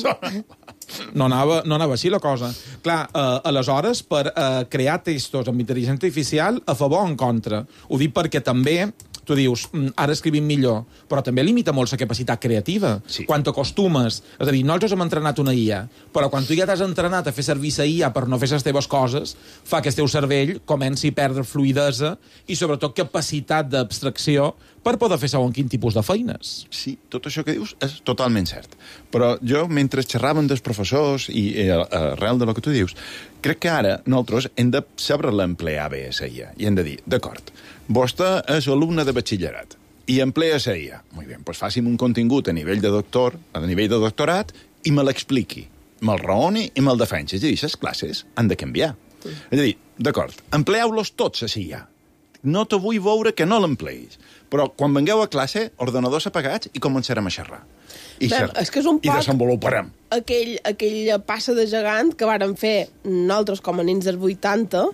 No anava així la cosa. Clar, aleshores, per crear textos amb intel·ligència artificial, a favor o en contra. Ho dic perquè també... Tu dius, ara escrivim millor, però també limita molt la capacitat creativa. Sí. Quan t'acostumes... És a dir, nosaltres hem entrenat una IA, però quan tu ja t'has entrenat a fer servir la IA per no fer les teves coses, fa que el teu cervell comenci a perdre fluidesa i, sobretot, capacitat d'abstracció per poder fer segons quin tipus de feines. Sí, tot això que dius és totalment cert. Però jo, mentre xerraven dels professors i arrel de lo que tu dius, crec que ara nosaltres hem de saber l'emplear bé a la IA i hem de dir, d'acord, vostè és alumne de batxillerat i emplea la IA. Molt bé, doncs faci'm un contingut a nivell de doctorat i me l'expliqui, me'l raoni i me'l defensi. És a dir, les classes han de canviar. És a dir, d'acord, empleeu-los tots a la IA. No te vull veure que no l'empleïs. Però quan vengueu a classe, ordenadors apagats i començarem a xerrar. I desenvoluparem. Aquella passa de gegant que vàrem fer nosaltres com a nins dels 80,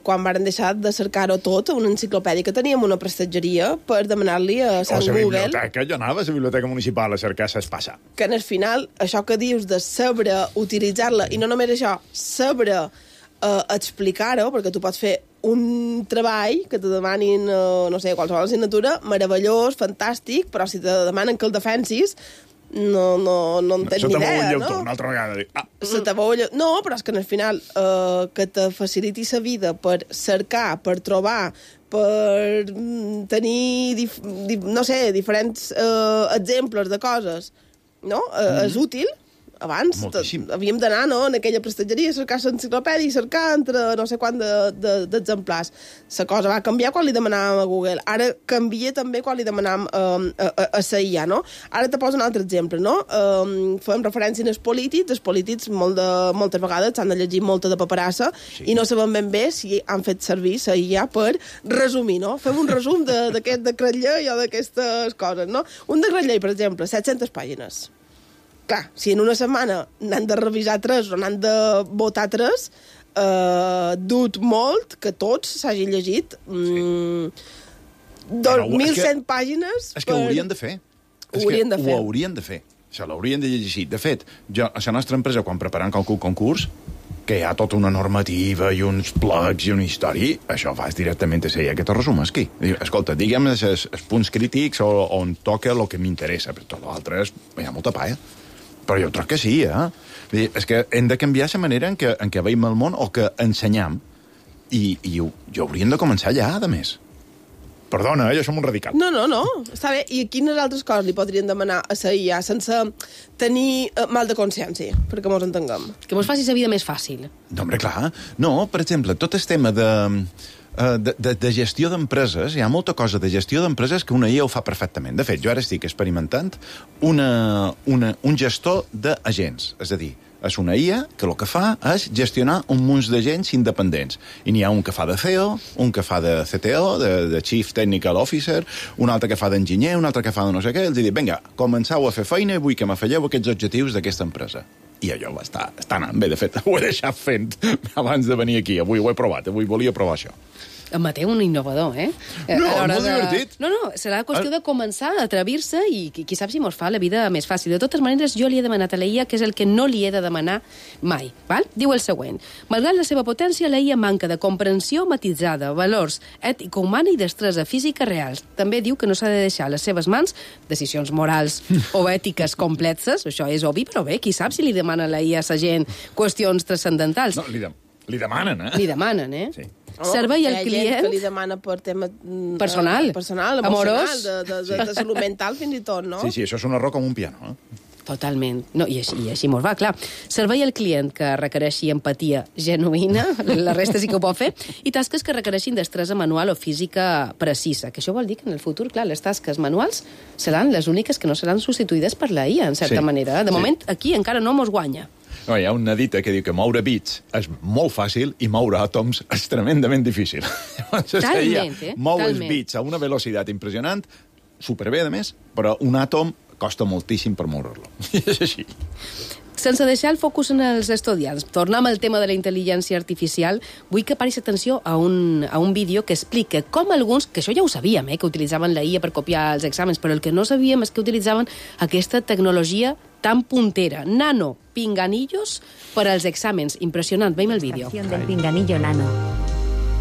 quan vàrem deixar de cercar-ho tot a una enciclopèdia que teníem una prestatgeria per demanar-li a Sant Google... Jo anava a la biblioteca municipal a cercar s'espassa. Que en el final, això que dius de saber utilitzar-la, i no només això, saber explicar-ho, perquè tu pots fer un treball que te demanin, no sé, qualsevol assignatura, meravellós, fantàstic, però si te demanen que el defensis, no en tens ni idea, no? Una altra vegada. No, però és que al final que te faciliti la vida per cercar, per trobar, per tenir, no sé, diferents exemples de coses, no? És útil. Abans havíem d'anar en aquella prestatgeria a cercar l'enciclopèdia i cercar entre no sé quant d'exemplars. La cosa va canviar quan li demanàvem a Google. Ara canvia també quan li demanàvem a la IA, no? Ara te poso un altre exemple, no? Fem referència als polítics. Els polítics moltes vegades s'han de llegir molta de paperassa i no sabem ben bé si han fet servir la IA per resumir, no? Fem un resum d'aquest decret llei o d'aquestes coses, no? Un decret llei, per exemple, 700 pàgines. Clar, si en una setmana n'han de revisar 3 o n'han de votar 3, dut molt que tots s'hagin llegit 1.100 pàgines... És que ho haurien de fer. Ho haurien de fer. Això l'haurien de llegir. De fet, a la nostra empresa, quan preparem qualsevol concurs, que hi ha tota una normativa i uns plecs i una història, això fas directament a ser que te resumes aquí. Escolta, digue'm els punts crítics on toca el que m'interessa, però tot l'altre hi ha molta palla. Però jo crec que sí, És que hem de canviar la manera en què veiem el món o que ensenyam i ho hauríem de començar allà, a més. Perdona, jo som un radical. No, està bé. I quines altres coses li podrien demanar a la IA sense tenir mal de consciència, perquè mos entenguem? Que mos faci la vida més fàcil. No, home, clar. No, per exemple, tot el tema de gestió d'empreses, hi ha molta cosa de gestió d'empreses que una IA ho fa perfectament. De fet, jo ara estic experimentant un gestor d'agents, és a dir, És una IA que el que fa és gestionar un munt de gens independents. I n'hi ha un que fa de CEO, un que fa de CTO, de Chief Technical Officer, un altre que fa d'enginyer, un altre que fa de no sé què. Els dic, vinga, començau a fer feina i vull que m'afegeu aquests objectius d'aquesta empresa. I allò està anant bé. De fet, ho he deixat fent abans de venir aquí. Avui ho he provat, avui volia provar això. En Mateu, un innovador, eh? No, molt divertit. No, serà qüestió de començar a atrevir-se i qui sap si mos fa la vida més fàcil. De totes maneres, jo li he demanat a la IA que és el que no li he de demanar mai. Val? Diu el següent. Malgrat la seva potència, la IA manca de comprensió matitzada, valors, ètica humana i destresa física reals. També diu que no s'ha de deixar a les seves mans decisions morals o ètiques complexes. Això és obvi, però bé, qui sap si li demana a la IA a sa gent qüestions transcendentals. No, li demanen, eh? Li demanen, eh? Sí. Servei al client... Hi ha gent que li demana per tema personal, emocional, de salut mental fins i tot, no? Sí, això és un error com un piano, eh? Totalment. No, i així mos va, clar. Servei al client que requereixi empatia genuïna, la resta sí que ho pot fer, i tasques que requereixin destresa manual o física precisa, que això vol dir que en el futur, clar, les tasques manuals seran les úniques que no seran substituïdes per la IA, en certa manera. De moment, aquí encara no mos guanya. No, hi ha una dita que diu que moure bits és molt fàcil i moure àtoms és tremendament difícil. Talment, Mou els bits a una velocitat impressionant, superbé, a més, però un àtom costa moltíssim per moure-lo. És així. Sense deixar el focus en els estudiants, tornem al tema de la intel·ligència artificial, vull que paris atenció a un vídeo que explica com alguns, que això ja ho sabíem, que utilitzaven la IA per copiar els exàmens, però el que no sabíem és que utilitzaven aquesta tecnologia tan puntera, nano pinganillos per als exàmens. Impressionant, veiem el vídeo. Del pinganillo nano.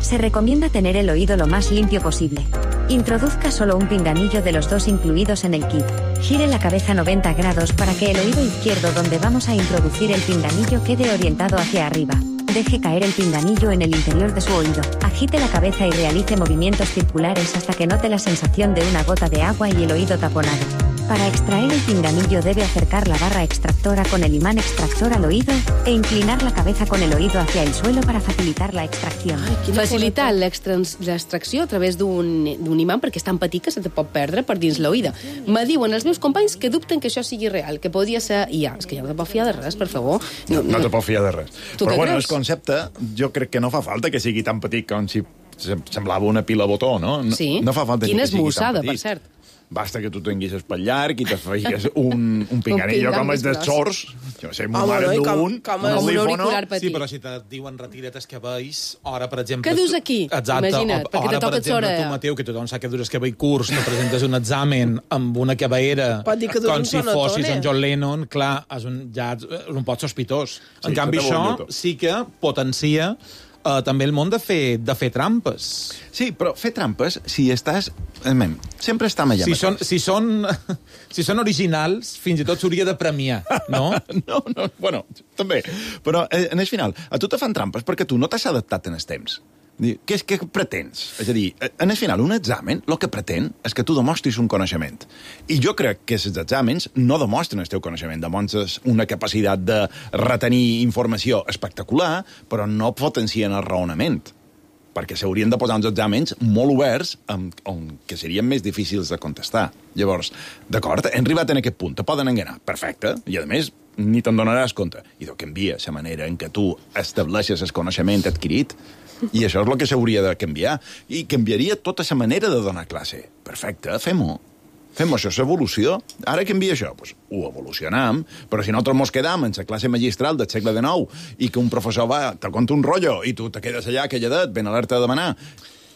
Se recomienda tener el oído lo más limpio posible. Introduzca solo un pinganillo de los dos incluidos en el kit. Gire la cabeza 90 grados para que el oído izquierdo donde vamos a introducir el pinganillo quede orientado hacia arriba. Deje caer el pinganillo en el interior de su oído. Agite la cabeza y realice movimientos circulares hasta que note la sensación de una gota de agua y el oído taponado. Para extraer el pinganillo debe acercar la barra extractora con el imán extractor al oído e inclinar la cabeza con el oído hacia el suelo para facilitar la extracción. Facilitar l'extracció a través d'un imant perquè és tan petit que se te pot perdre per dins l'oïda. Me diuen els meus companys que dubten que això sigui real, que podria ser IA. És que ja no te pot fiar de res, per favor. No te pot fiar de res. Però bueno, el concepte jo crec que no fa falta que sigui tan petit com si semblava una pila botó, no? Sí. No fa falta Quina que sigui esmussada, tan petit. per cert. Basta que tu tinguis el pel llarg i te feigues un pinganillo com els de sorts. Jo sé, ma mare d'un auricular petit. Sí, però si te diuen retira't els cabells, ara, per exemple... Què dus aquí? Exacte. Imagina't, perquè te toca l'orella. Tu, Mateu, que tothom sap que dures cabell curts, te presentes un examen amb una cabellera com si fossis en John Lennon, clar, és un pot sospitós. En canvi, això sí que potencia també el món de fer trampes. Sí, però fer trampes, si estàs... Sempre està allà mateix. Si són originals, fins i tot s'hauria de premiar, no? No, bueno, també. Però, en el final, a tu te fan trampes perquè tu no t'has adaptat en els temps. Què pretens? És a dir, en el final, un examen, el que pretén és que tu demostris un coneixement. I jo crec que els exàmens no demostren el teu coneixement, demostres una capacitat de retenir informació espectacular, però no potencien el raonament, perquè s'haurien de posar uns exàmens molt oberts que serien més difícils de contestar. Llavors, d'acord, hem arribat en aquest punt, te poden enganar, perfecte, i a més ni te'n donaràs compte. I doncs canvia la manera en què tu estableixes el coneixement adquirit, i això és el que s'hauria de canviar. I canviaria tota la manera de donar classe. Perfecte, fem-ho. Fem-ho, això és evolució. Ara canvia això, doncs ho evolucionam, però si nosaltres mos quedam en la classe magistral del segle XIX i que un professor te conta un rotllo i tu te quedes allà calladet, ben alerta de demanar,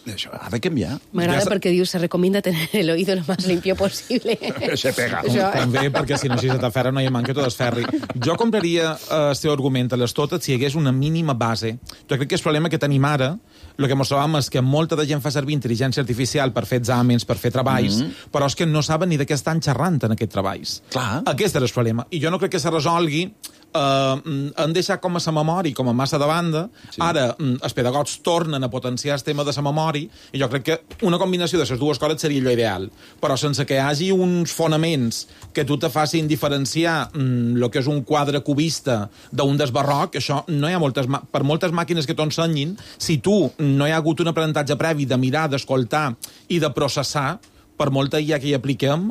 això ha de canviar. M'agrada perquè dius, se recomienda tener el oído lo más limpio posible. Se pega. També, perquè si no, si se t'aferra no hi ha manca tot es ferri. Jo compraria el seu argument a les totes si hi hagués una mínima base. Jo crec que el problema que tenim ara, el que ens trobam és que molta de gent fa servir intel·ligència artificial per fer exàmens, per fer treballs, però és que no saben ni de què estan xerrant en aquests treballs. Clar. Aquest és el problema. I jo no crec que se resolgui han deixat com a la memòria, com a massa de banda. Sí. Ara els pedagogs tornen a potenciar el tema de la memòria i jo crec que una combinació de les dues coses seria allò ideal. Però sense que hi hagi uns fonaments que tu te facin diferenciar el que és un quadre cubista d'un des barroc, això no hi ha per moltes màquines que t'ho ensenyin, si tu no hi ha hagut un aprenentatge previ de mirar, d'escoltar i de processar, per molta IA que hi apliquem,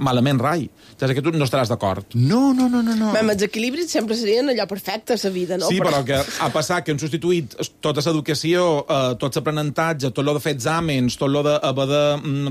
malament rai. Ja sé que tu no estaràs d'acord. No. Els equilibris sempre serien allò perfecte a la vida, no? Sí, però que ha passat que han substituït tota l'educació, tot l'aprenentatge, tot lo de fer exàmens, tot lo d'haver de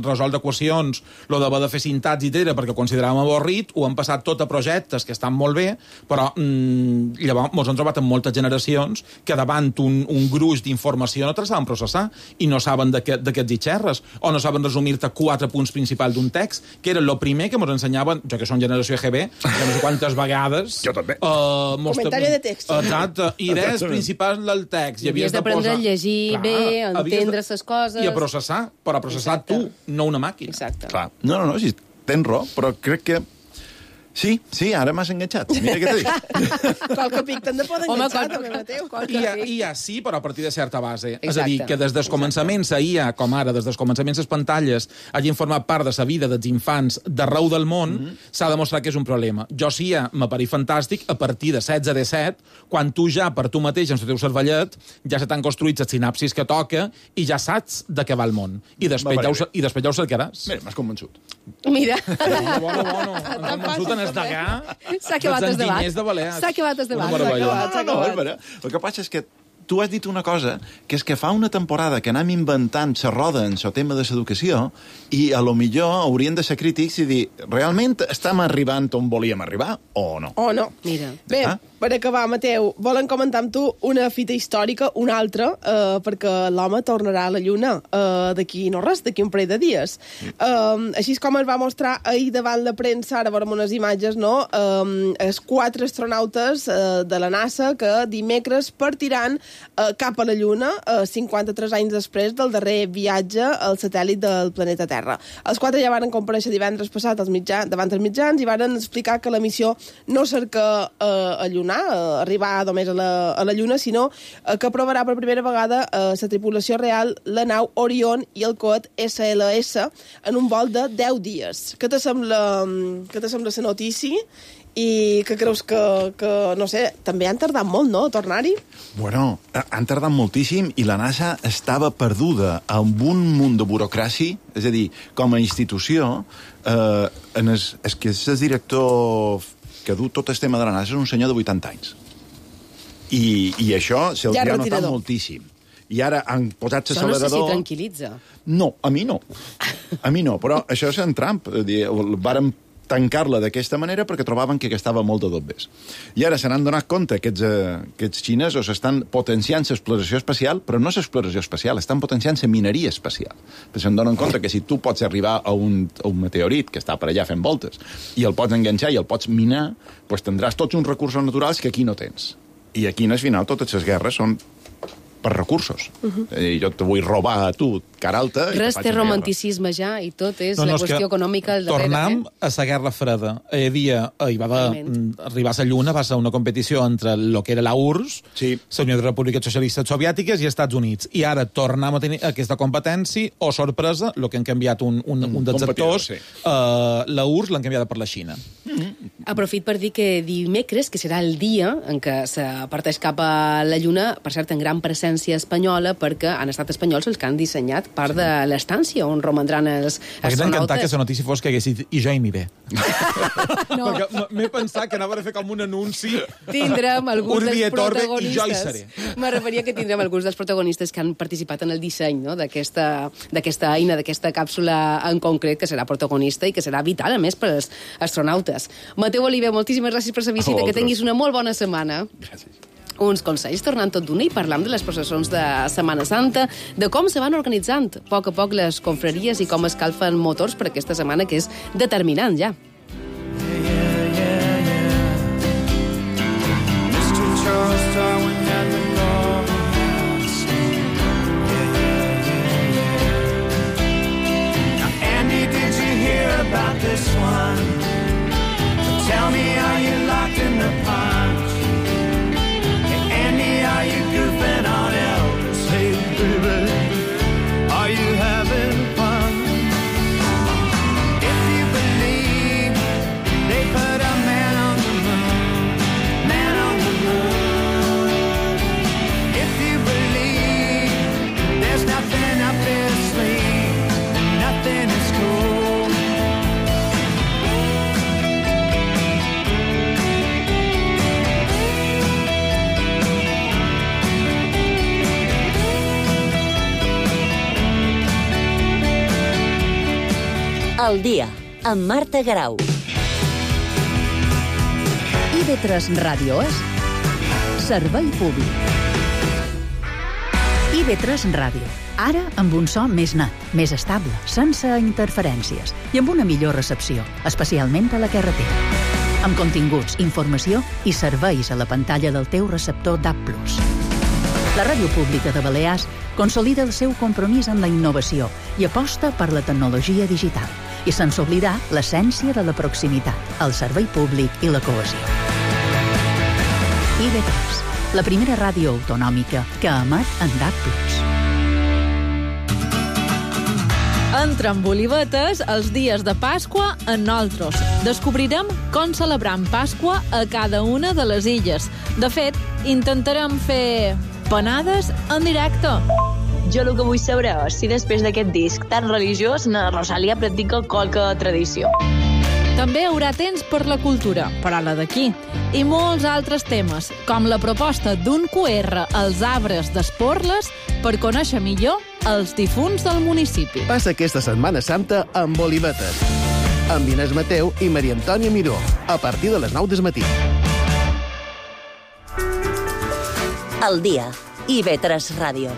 resoldre equacions, lo d'haver de fer sintaxi, perquè ho consideràvem avorrit, ho han passat tot a projectes que estan molt bé, però llavors ens hem trobat amb moltes generacions que davant un gruix d'informació no te la saben processar i no saben d'aquests xerres, o no saben resumir-te 4 punts principals d'un text, que era el primer que ens ensenyaven, jo que som generació EGB, ja no sé quantes vegades... Jo també. Comentari de text. Exacte, idees principals del text. I havies d'aprendre a llegir bé, a entendre les coses... I a processar, però a processar tu, no una màquina. Exacte. Clar. No, sí, tens raó, però crec que... Sí, ara m'has enganxat. Mira què t'he dit. Qualque pic t'han de poder enganxar, també, Mateu. IA sí, però a partir de certa base. Exacte. És a dir, que des dels començaments a IA, com ara, des dels començaments a les pantalles, hagin format part de la vida dels infants d'arreu del món, s'ha demostrat que és un problema. Jo sí, m'apareix fantàstic a partir de 16-17, quan tu ja, per tu mateix, en el teu cervellet, ja se t'han construït les sinapsis que toca i ja saps de què va el món. I després ja ho cercaràs. Mira, m'has convençut. Mira. Bueno. M'has convençut en degà. S'ha acabat el debat. S'ha acabat el debat. No, el que passa és que tu has dit una cosa, que és que fa una temporada que anem inventant la roda en el tema de l'educació i a lo millor haurien de ser crítics i dir, realment estem arribant on volíem arribar o no? O no. Mira. Bé, per acabar, Mateu, volen comentar amb tu una fita històrica, una altra, perquè l'home tornarà a la Lluna d'aquí no res, d'aquí un parell de dies. Així com es va mostrar ahir davant la premsa, ara veurem unes imatges, no? Els 4 astronautes de la NASA que dimecres partiran cap a la Lluna 53 anys després del darrer viatge al satèl·lit del planeta Terra. Els 4 ja van comparèixer divendres passat davant els mitjans i van explicar que la missió no cerca arribar només a la Lluna, sinó que provarà per primera vegada la tripulació real, la nau Orion i el coet SLS en un vol de 10 dies. Què te sembla la notícia? I que creus que, no sé, també han tardat molt, no?, a tornar-hi? Bueno, han tardat moltíssim i la NASA estava perduda amb un munt de burocràcia, és a dir, com a institució, és que és el director que du tot el tema de la NASA és un senyor de 80 anys. I això se'l ha notat moltíssim. I ara han posat l'accelerador... Això no sé si tranquil·litza. No, a mi no, però això és en Trump. Vàrem tancar-la d'aquesta manera perquè trobaven que estava molt de dobbers. I ara se n'han donat compte que aquests xinesos estan potenciant l'exploració espacial, però no l'exploració espacial, estan potenciant la mineria espacial. Perquè se'n donen compte que si tu pots arribar a un meteorit que està per allà fent voltes i el pots enganxar i el pots minar, doncs tindràs tots uns recursos naturals que aquí no tens. I aquí, al final, totes les guerres són per recursos. Jo te vull robar a tu, cara alta... Res té romanticisme ja, i tot és la qüestió econòmica al darrere. Tornem a la Guerra Freda. Hi va arribar a la Lluna, va ser una competició entre el que era la URSS, la Unió de Repúbliques Socialistes Soviètiques i Estats Units. I ara tornem a tenir aquesta competència, o sorpresa, el que han canviat un dels actors, la URSS l'han canviada per la Xina. Aprofit per dir que dimecres, que serà el dia en què se parteix cap a la Lluna, per cert, en gran presència espanyola, perquè han estat espanyols els que han dissenyat part de l'estància on romandran els astronautes. M'hauria encantat que la notícia fos que haguessis dit i jo hi m'hi ve. No. Perquè m'he pensat que anava a fer com un anunci. Tindrem alguns dels protagonistes. I jo hi seré. Me referia que tindrem alguns dels protagonistes que han participat en el disseny, no?, d'aquesta eina, d'aquesta càpsula en concret, que serà protagonista i que serà vital, a més, per als astronautes. Mateu Oliver, moltíssimes gràcies per la visita, que tinguis una molt bona setmana. Gràcies. Uns consells tornant tot d'una i parlam de les processons de Setmana Santa, de com se van organitzant a poc les confraries i com escalfen motors per aquesta setmana, que és determinant ja. Andy, did you hear about this one? Tell me, are you locked in the punch? Are you goofing on Elvis? Hey, baby, are you having fun? If you believe El dia, amb Marta Garau. IB3 Ràdio és servei públic. IB3 Ràdio. Ara amb un so més net, més estable, sense interferències i amb una millor recepció, especialment a la carretera. Amb continguts, informació i serveis a la pantalla del teu receptor DAB+. La Ràdio Pública de Balears consolida el seu compromís amb la innovació i aposta per la tecnologia digital. I sense oblidar l'essència de la proximitat, el servei públic i la cohesió. IB3, la primera ràdio autonòmica que emet en DAB+. Entra amb olivetes els dies de Pasqua en nosaltres. Descobrirem com celebram Pasqua a cada una de les illes. De fet, intentarem fer panades en directe. Jo el que vull saber és si després d'aquest disc tan religiós na Rosalia practica qualque tradició. També hi haurà temps per la cultura, però la d'aquí. I molts altres temes, com la proposta d'un QR als arbres d'Esporles per conèixer millor els difunts del municipi. Passa aquesta Setmana Santa amb Olivetes, amb Inés Mateu i Maria Antònia Miró, a partir de les 9 del matí. El dia, IB3 Ràdio.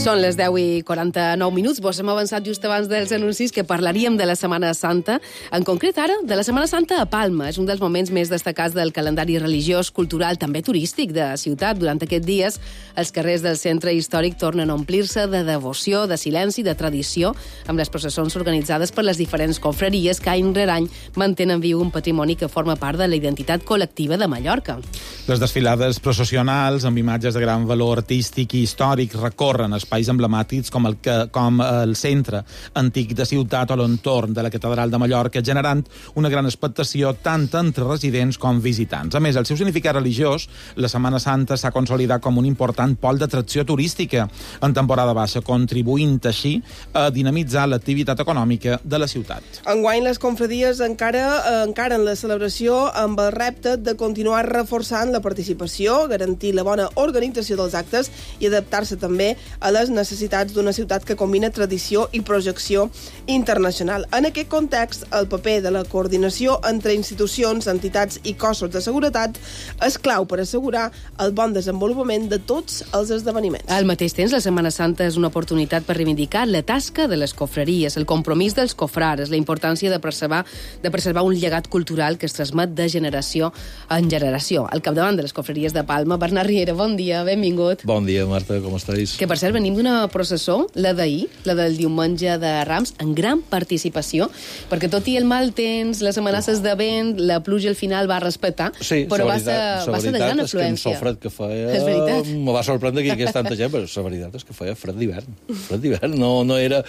Són les 10:49. Vos hem avançat just abans dels anuncis que parlaríem de la Setmana Santa. En concret, ara, de la Setmana Santa a Palma. És un dels moments més destacats del calendari religiós, cultural, també turístic de la ciutat. Durant aquests dies, els carrers del centre històric tornen a omplir-se de devoció, de silenci, de tradició, amb les processons organitzades per les diferents confraries que any rere any mantenen viu un patrimoni que forma part de la identitat col·lectiva de Mallorca. Les desfilades processionals, amb imatges de gran valor artístic i històric, recorren espais emblemàtics com el centre antic de ciutat o l'entorn de la catedral de Mallorca, generant una gran expectació tant entre residents com visitants. A més, el seu significat religiós, la Setmana Santa s'ha consolidat com un important pol d'atracció turística en temporada baixa, contribuint així a dinamitzar l'activitat econòmica de la ciutat. Enguany, les confradies encaren la celebració amb el repte de continuar reforçant la participació, garantir la bona organització dels actes i adaptar-se també a les necessitats d'una ciutat que combina tradició i projecció internacional. En aquest context, el paper de la coordinació entre institucions, entitats i cossos de seguretat és clau per assegurar el bon desenvolupament de tots els esdeveniments. Al mateix temps, la Setmana Santa és una oportunitat per reivindicar la tasca de les confraries, el compromís dels cofrares, la importància de preservar un llegat cultural que es transmet de generació en generació. Al capdavant de les confraries de Palma, Bernat Riera, bon dia, benvingut. Bon dia, Marta, com estàs? Que, per cert, venim d'una processó, la d'ahir, la del diumenge de Rams, en gran participació, perquè tot i el mal temps, les amenaces de vent, la pluja al final va respectar, sí, però va ser de gran afluència. És que amb el fred que feia... Me va sorprendre que hi hagués tanta gent, però la veritat és que feia fred d'hivern. Fred d'hivern, no era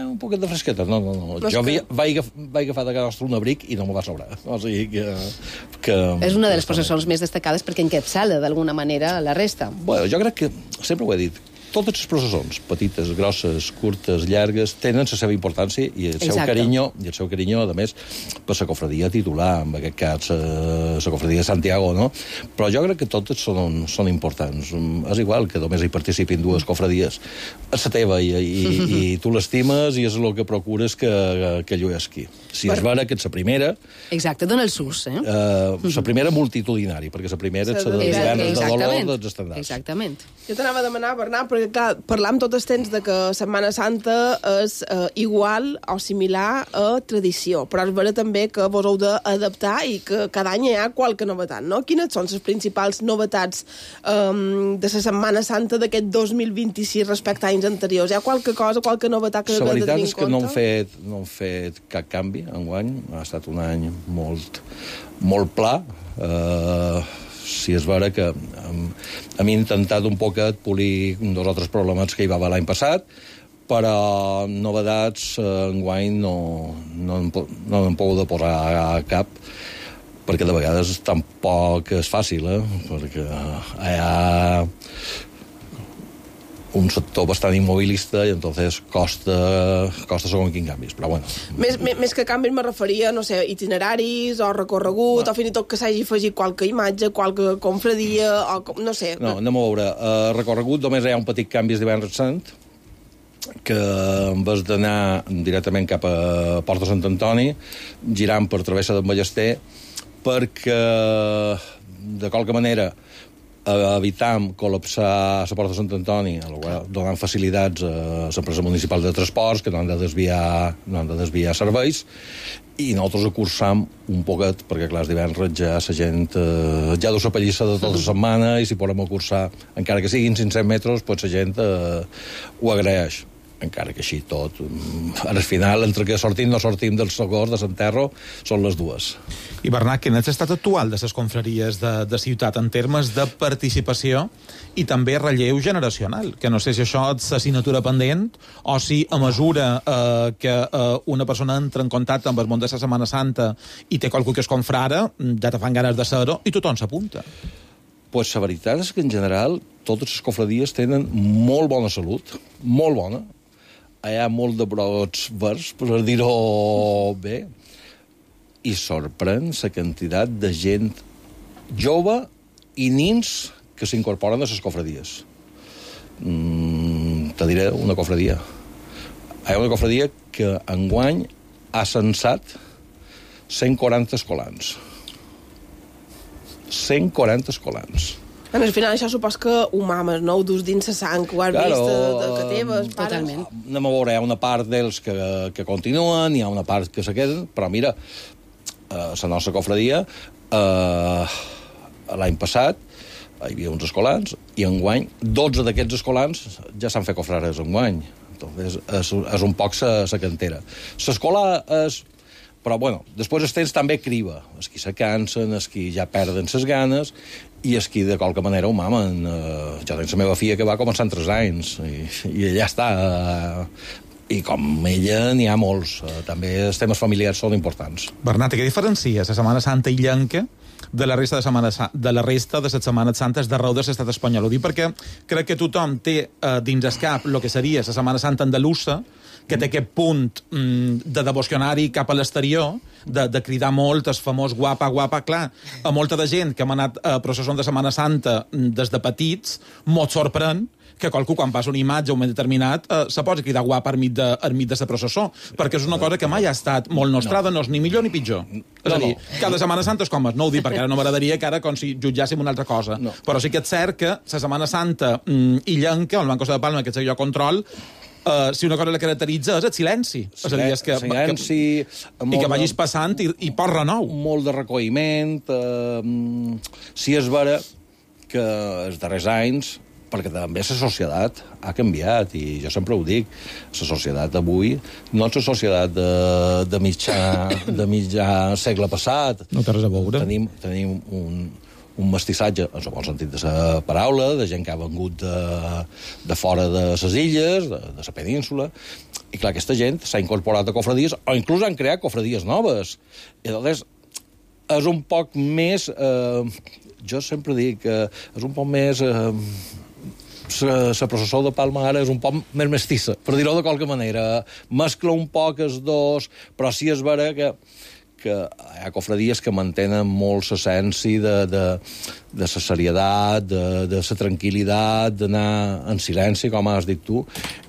un poquet de fresqueta, no. Jo vaig agafar de casa nostra un abric i no me va sobrar. O sigui que és una de les processons més destacades perquè encapçala d'alguna manera la resta. Bueno, jo crec que, sempre ho he dit, totes les processons, petites, grosses, curtes, llargues, tenen la seva importància i el seu carinyo, a més, per la cofradia titular, en aquest cas, la cofradia de Santiago, no? Però jo crec que totes són importants. És igual que només hi participin dues cofradies. És la teva i tu l'estimes i és el que procures que lluesqui. Si és vera que ets la primera... Exacte, dona el sus, eh? La primera multitudinari, perquè la primera ets la de divendres de dolor dels estendals. Exactament. Jo t'anava a demanar, Bernat, perquè clar, parlam tot el temps de que Setmana Santa és igual o similar a tradició, però és vera també que vos heu d'adaptar i que cada any hi ha qualque novetat, no? Quines són les principals novetats de la Setmana Santa d'aquest 2026 respecte a anys anteriors? Hi ha qualque cosa, qualque novetat que heu de tenir en compte? La veritat és que no hem fet cap canvi enguany. Ha estat un any molt pla. Si és vera que hem intentat un poquet polir dos o tres problemes que hi va haver l'any passat, però novedats enguany no en puc posar a cap, perquè de vegades tampoc és fàcil, perquè hi ha... un sector bastant immobilista i entonces costa segons quin canvis, però bueno. Més que canvis me referia, no sé, itineraris o recorregut, o fins i tot que s'hagi afegit qualque imatge, qualque confradia, o no sé. No, anem a veure. Recorregut només hi ha un petit canvi de Divendres Sant, que en vez d'anar directament cap a Porta Sant Antoni, girant per Travessa d'en Ballester, perquè de qualque manera evitam col·lapsar la Porta de Sant Antoni, donant facilitats a l'empresa municipal de transports, que no han de desviar serveis, i nosaltres acursam un poquet, perquè clar, els divendres ja la gent ja deu la pallissa de tota la setmana, i si podem acursar, encara que siguin 500 metres, pues la gent ho agraeix. Encara que així tot, al final, entre que sortim no sortim del socors de Santerro, són les dues. I Bernat, quin és l'estat actual de les confraries de ciutat en termes de participació i també relleu generacional? Que no sé si això és assignatura pendent o si a mesura que una persona entra en contacte amb el món de la Setmana Santa i té qualcú que es confrara, ja te fan ganes de ser-ho i tothom s'apunta. Pues la veritat és que en general totes les confradies tenen molt bona salut, molt bona. Hi ha molt de brots verds, per dir-ho bé, i sorprèn la quantitat de gent jove i nins que s'incorporen a les confradies. Te diré una confradia. Hi ha una confradia que enguany ha censat 140 escolans. 140 escolans. Al final això supos que ho mames, no? Ho dus dins la sang, ho has vist que teves, pares. Totalment. Anem a veure, hi ha una part d'ells que continuen, hi ha una part que se queden, però mira, la nostra confradia, l'any passat, hi havia uns escolans, i enguany, 12 d'aquests escolans ja s'han fet confrares enguany. Entonces, és un poc la cantera. L'escola és... Però, bueno, després els temps també criba. Els qui se cansen, els qui ja perden les ganes, i els qui de qualque manera ho mamen. Jo tinc la meva filla que va començar en 3 anys, i ja està. I com ella n'hi ha molts. També els temes familiars són importants. Bernat, què diferencia la Setmana Santa illenca de la resta de les Setmanes Santes d'arreu de l'estat espanyol? Ho dic perquè crec que tothom té dins el cap el que seria la Setmana Santa andalusa, que té aquest punt de devocionari cap a l'exterior, de cridar molt el famós guapa, guapa. Clar, a molta de gent que hem anat a processons de Setmana Santa des de petits, molt sorprèn que qualcú, quan passa una imatge a un moment determinat, se posa a cridar guapa enmig de la processó, perquè és una cosa que mai ha estat molt nostrada, no és ni millor ni pitjor. És a dir, cada Setmana Santa és com és, no ho dic, perquè ara no m'agradaria que ara com si jutjàssim una altra cosa. Però sí que és cert que la Setmana Santa illenca, el Banc Costa de Palma, que és allò control, si una cosa la caracteritza és el silenci. És a dir, és que i que vagis passant i pots renou. Molt de recolliment. Sí, és vera que els darrers anys, perquè també la societat ha canviat, i jo sempre ho dic, la societat avui no és la societat de mitjà segle passat. No té res a veure. Tenim un mestissatge, en el bon sentit de la paraula, de gent que ha vengut de fora de les illes, de la península, i clar, aquesta gent s'ha incorporat a cofradies, o inclús han creat cofradies noves. I llavors és un poc més... jo sempre dic que és un poc més... la processó de Palma ara és un poc més mestissa, per dir-ho de qualque manera. Mescla un poc els dos, però sí és vera que hi ha cofradies que mantenen molt l'essència de la serietat, de la tranquil·litat, d'anar en silenci, com has dit tu.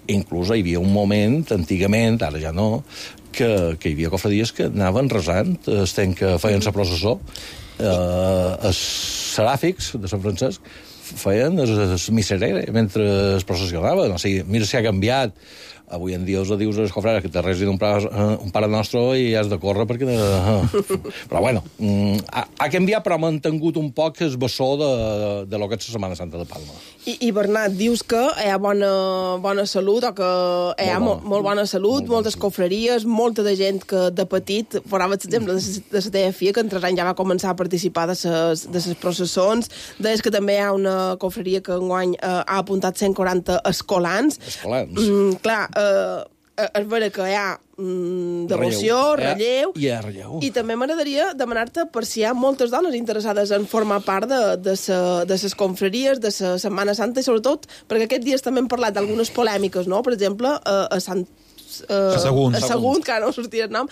Inclús hi havia un moment, antigament, ara ja no, que hi havia cofradies que anaven resant, que feien la processó. Els seràfics de Sant Francesc feien el miserere mentre es processionaven. O sigui, mira si ha canviat. Avui en dia us dius als cofrares que te resin un pare nostre i has de córrer perquè... Però bueno, ha canviat però ha mantingut un poc el bessó de lo que és la Setmana Santa de Palma. I Bernat, dius que hi ha bona salut, o que hi ha molt bona salut, moltes confraries, molta de gent que de petit, posava l'exemple de la teva filla, que en 3 anys ja va començar a participar de les processons, deies que també hi ha una confraria que enguany ha apuntat 140 escolans. Escolans. Clar, és vera que hi ha devoció, relleu... Hi ha relleu. I també m'agradaria demanar-te per si hi ha moltes dones interessades en formar part de les confraries, de la Setmana Santa, i sobretot perquè aquests dies també hem parlat d'algunes polèmiques, no? Per exemple, a Sagunt, que no sortia el nom,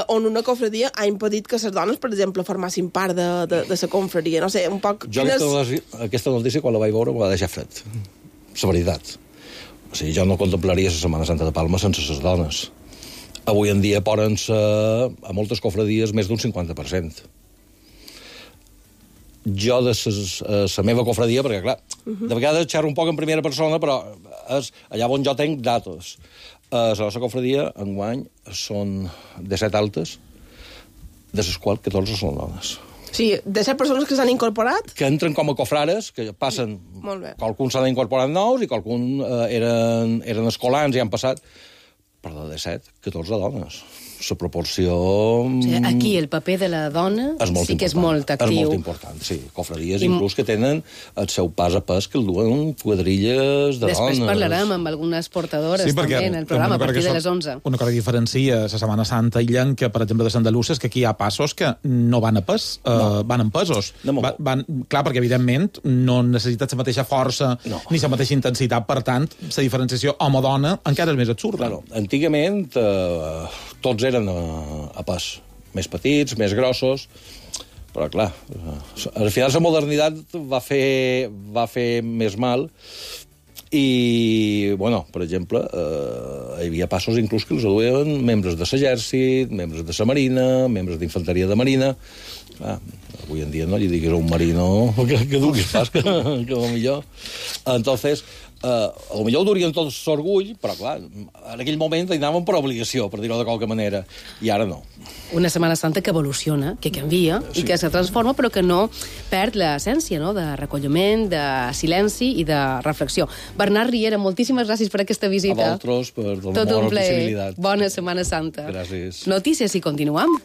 on una confraria ha impedit que les dones, per exemple, formassin part de la confraria. No sé, un poc... Jo aquesta notícia, quan la vaig veure, me va deixar fred. La veritat. O sigui, jo no contemplaria la Setmana Santa de Palma sense les dones. Avui en dia poden ser, a moltes confradies, més d'un 50%. Jo, de la meva confradia, perquè, clar, de vegades xerro un poc en primera persona, però és allà on jo tenc datos. La nostra confradia, enguany, són 17 altes, de les quals 14 són dones. Sí, 17 persones que s'han incorporat? Que entren com a cofrares, que passen... Molt bé. Qualcuns s'han incorporat nous i qualcuns eren escolans i han passat... Però de 17, 14 dones. La proporció... O sigui, aquí el paper de la dona sí que és molt actiu. És molt important, sí. Cofradies inclús que tenen el seu pas a pas que el duen quadrilles de dones. Després parlarem amb algunes portadores també en el programa a partir de les 11. Una cosa que diferencia la Setmana Santa illenca, per exemple, de Sant Delussa, és que aquí hi ha passos que no van a pes, van en pesos. Clar, perquè evidentment no necessites la mateixa força ni la mateixa intensitat, per tant, la diferenciació home-dona encara és més absurda. Claro. Antigament tots eren a pas, més petits, més grossos, però clar, al final la modernitat va fer més mal i, bueno, per exemple, hi havia passos inclús que els duien membres de l'exèrcit, membres de la marina, membres d'infanteria de marina. Clar, avui en dia no li diguis a un marino que duguis pas, que millor. Entonces, a lo millor ho durien tots l'orgull, però clar, en aquell moment hi anàvem per obligació, per dir-ho de qualque manera, i ara no. Una Setmana Santa que evoluciona, que canvia i que se transforma, però que no perd l'essència, no?, de recolliment, de silenci i de reflexió. Bernat Riera, moltíssimes gràcies per aquesta visita. A vosaltres, per donar-me la possibilitat. Bona Setmana Santa. Gràcies. Notícies i continuem.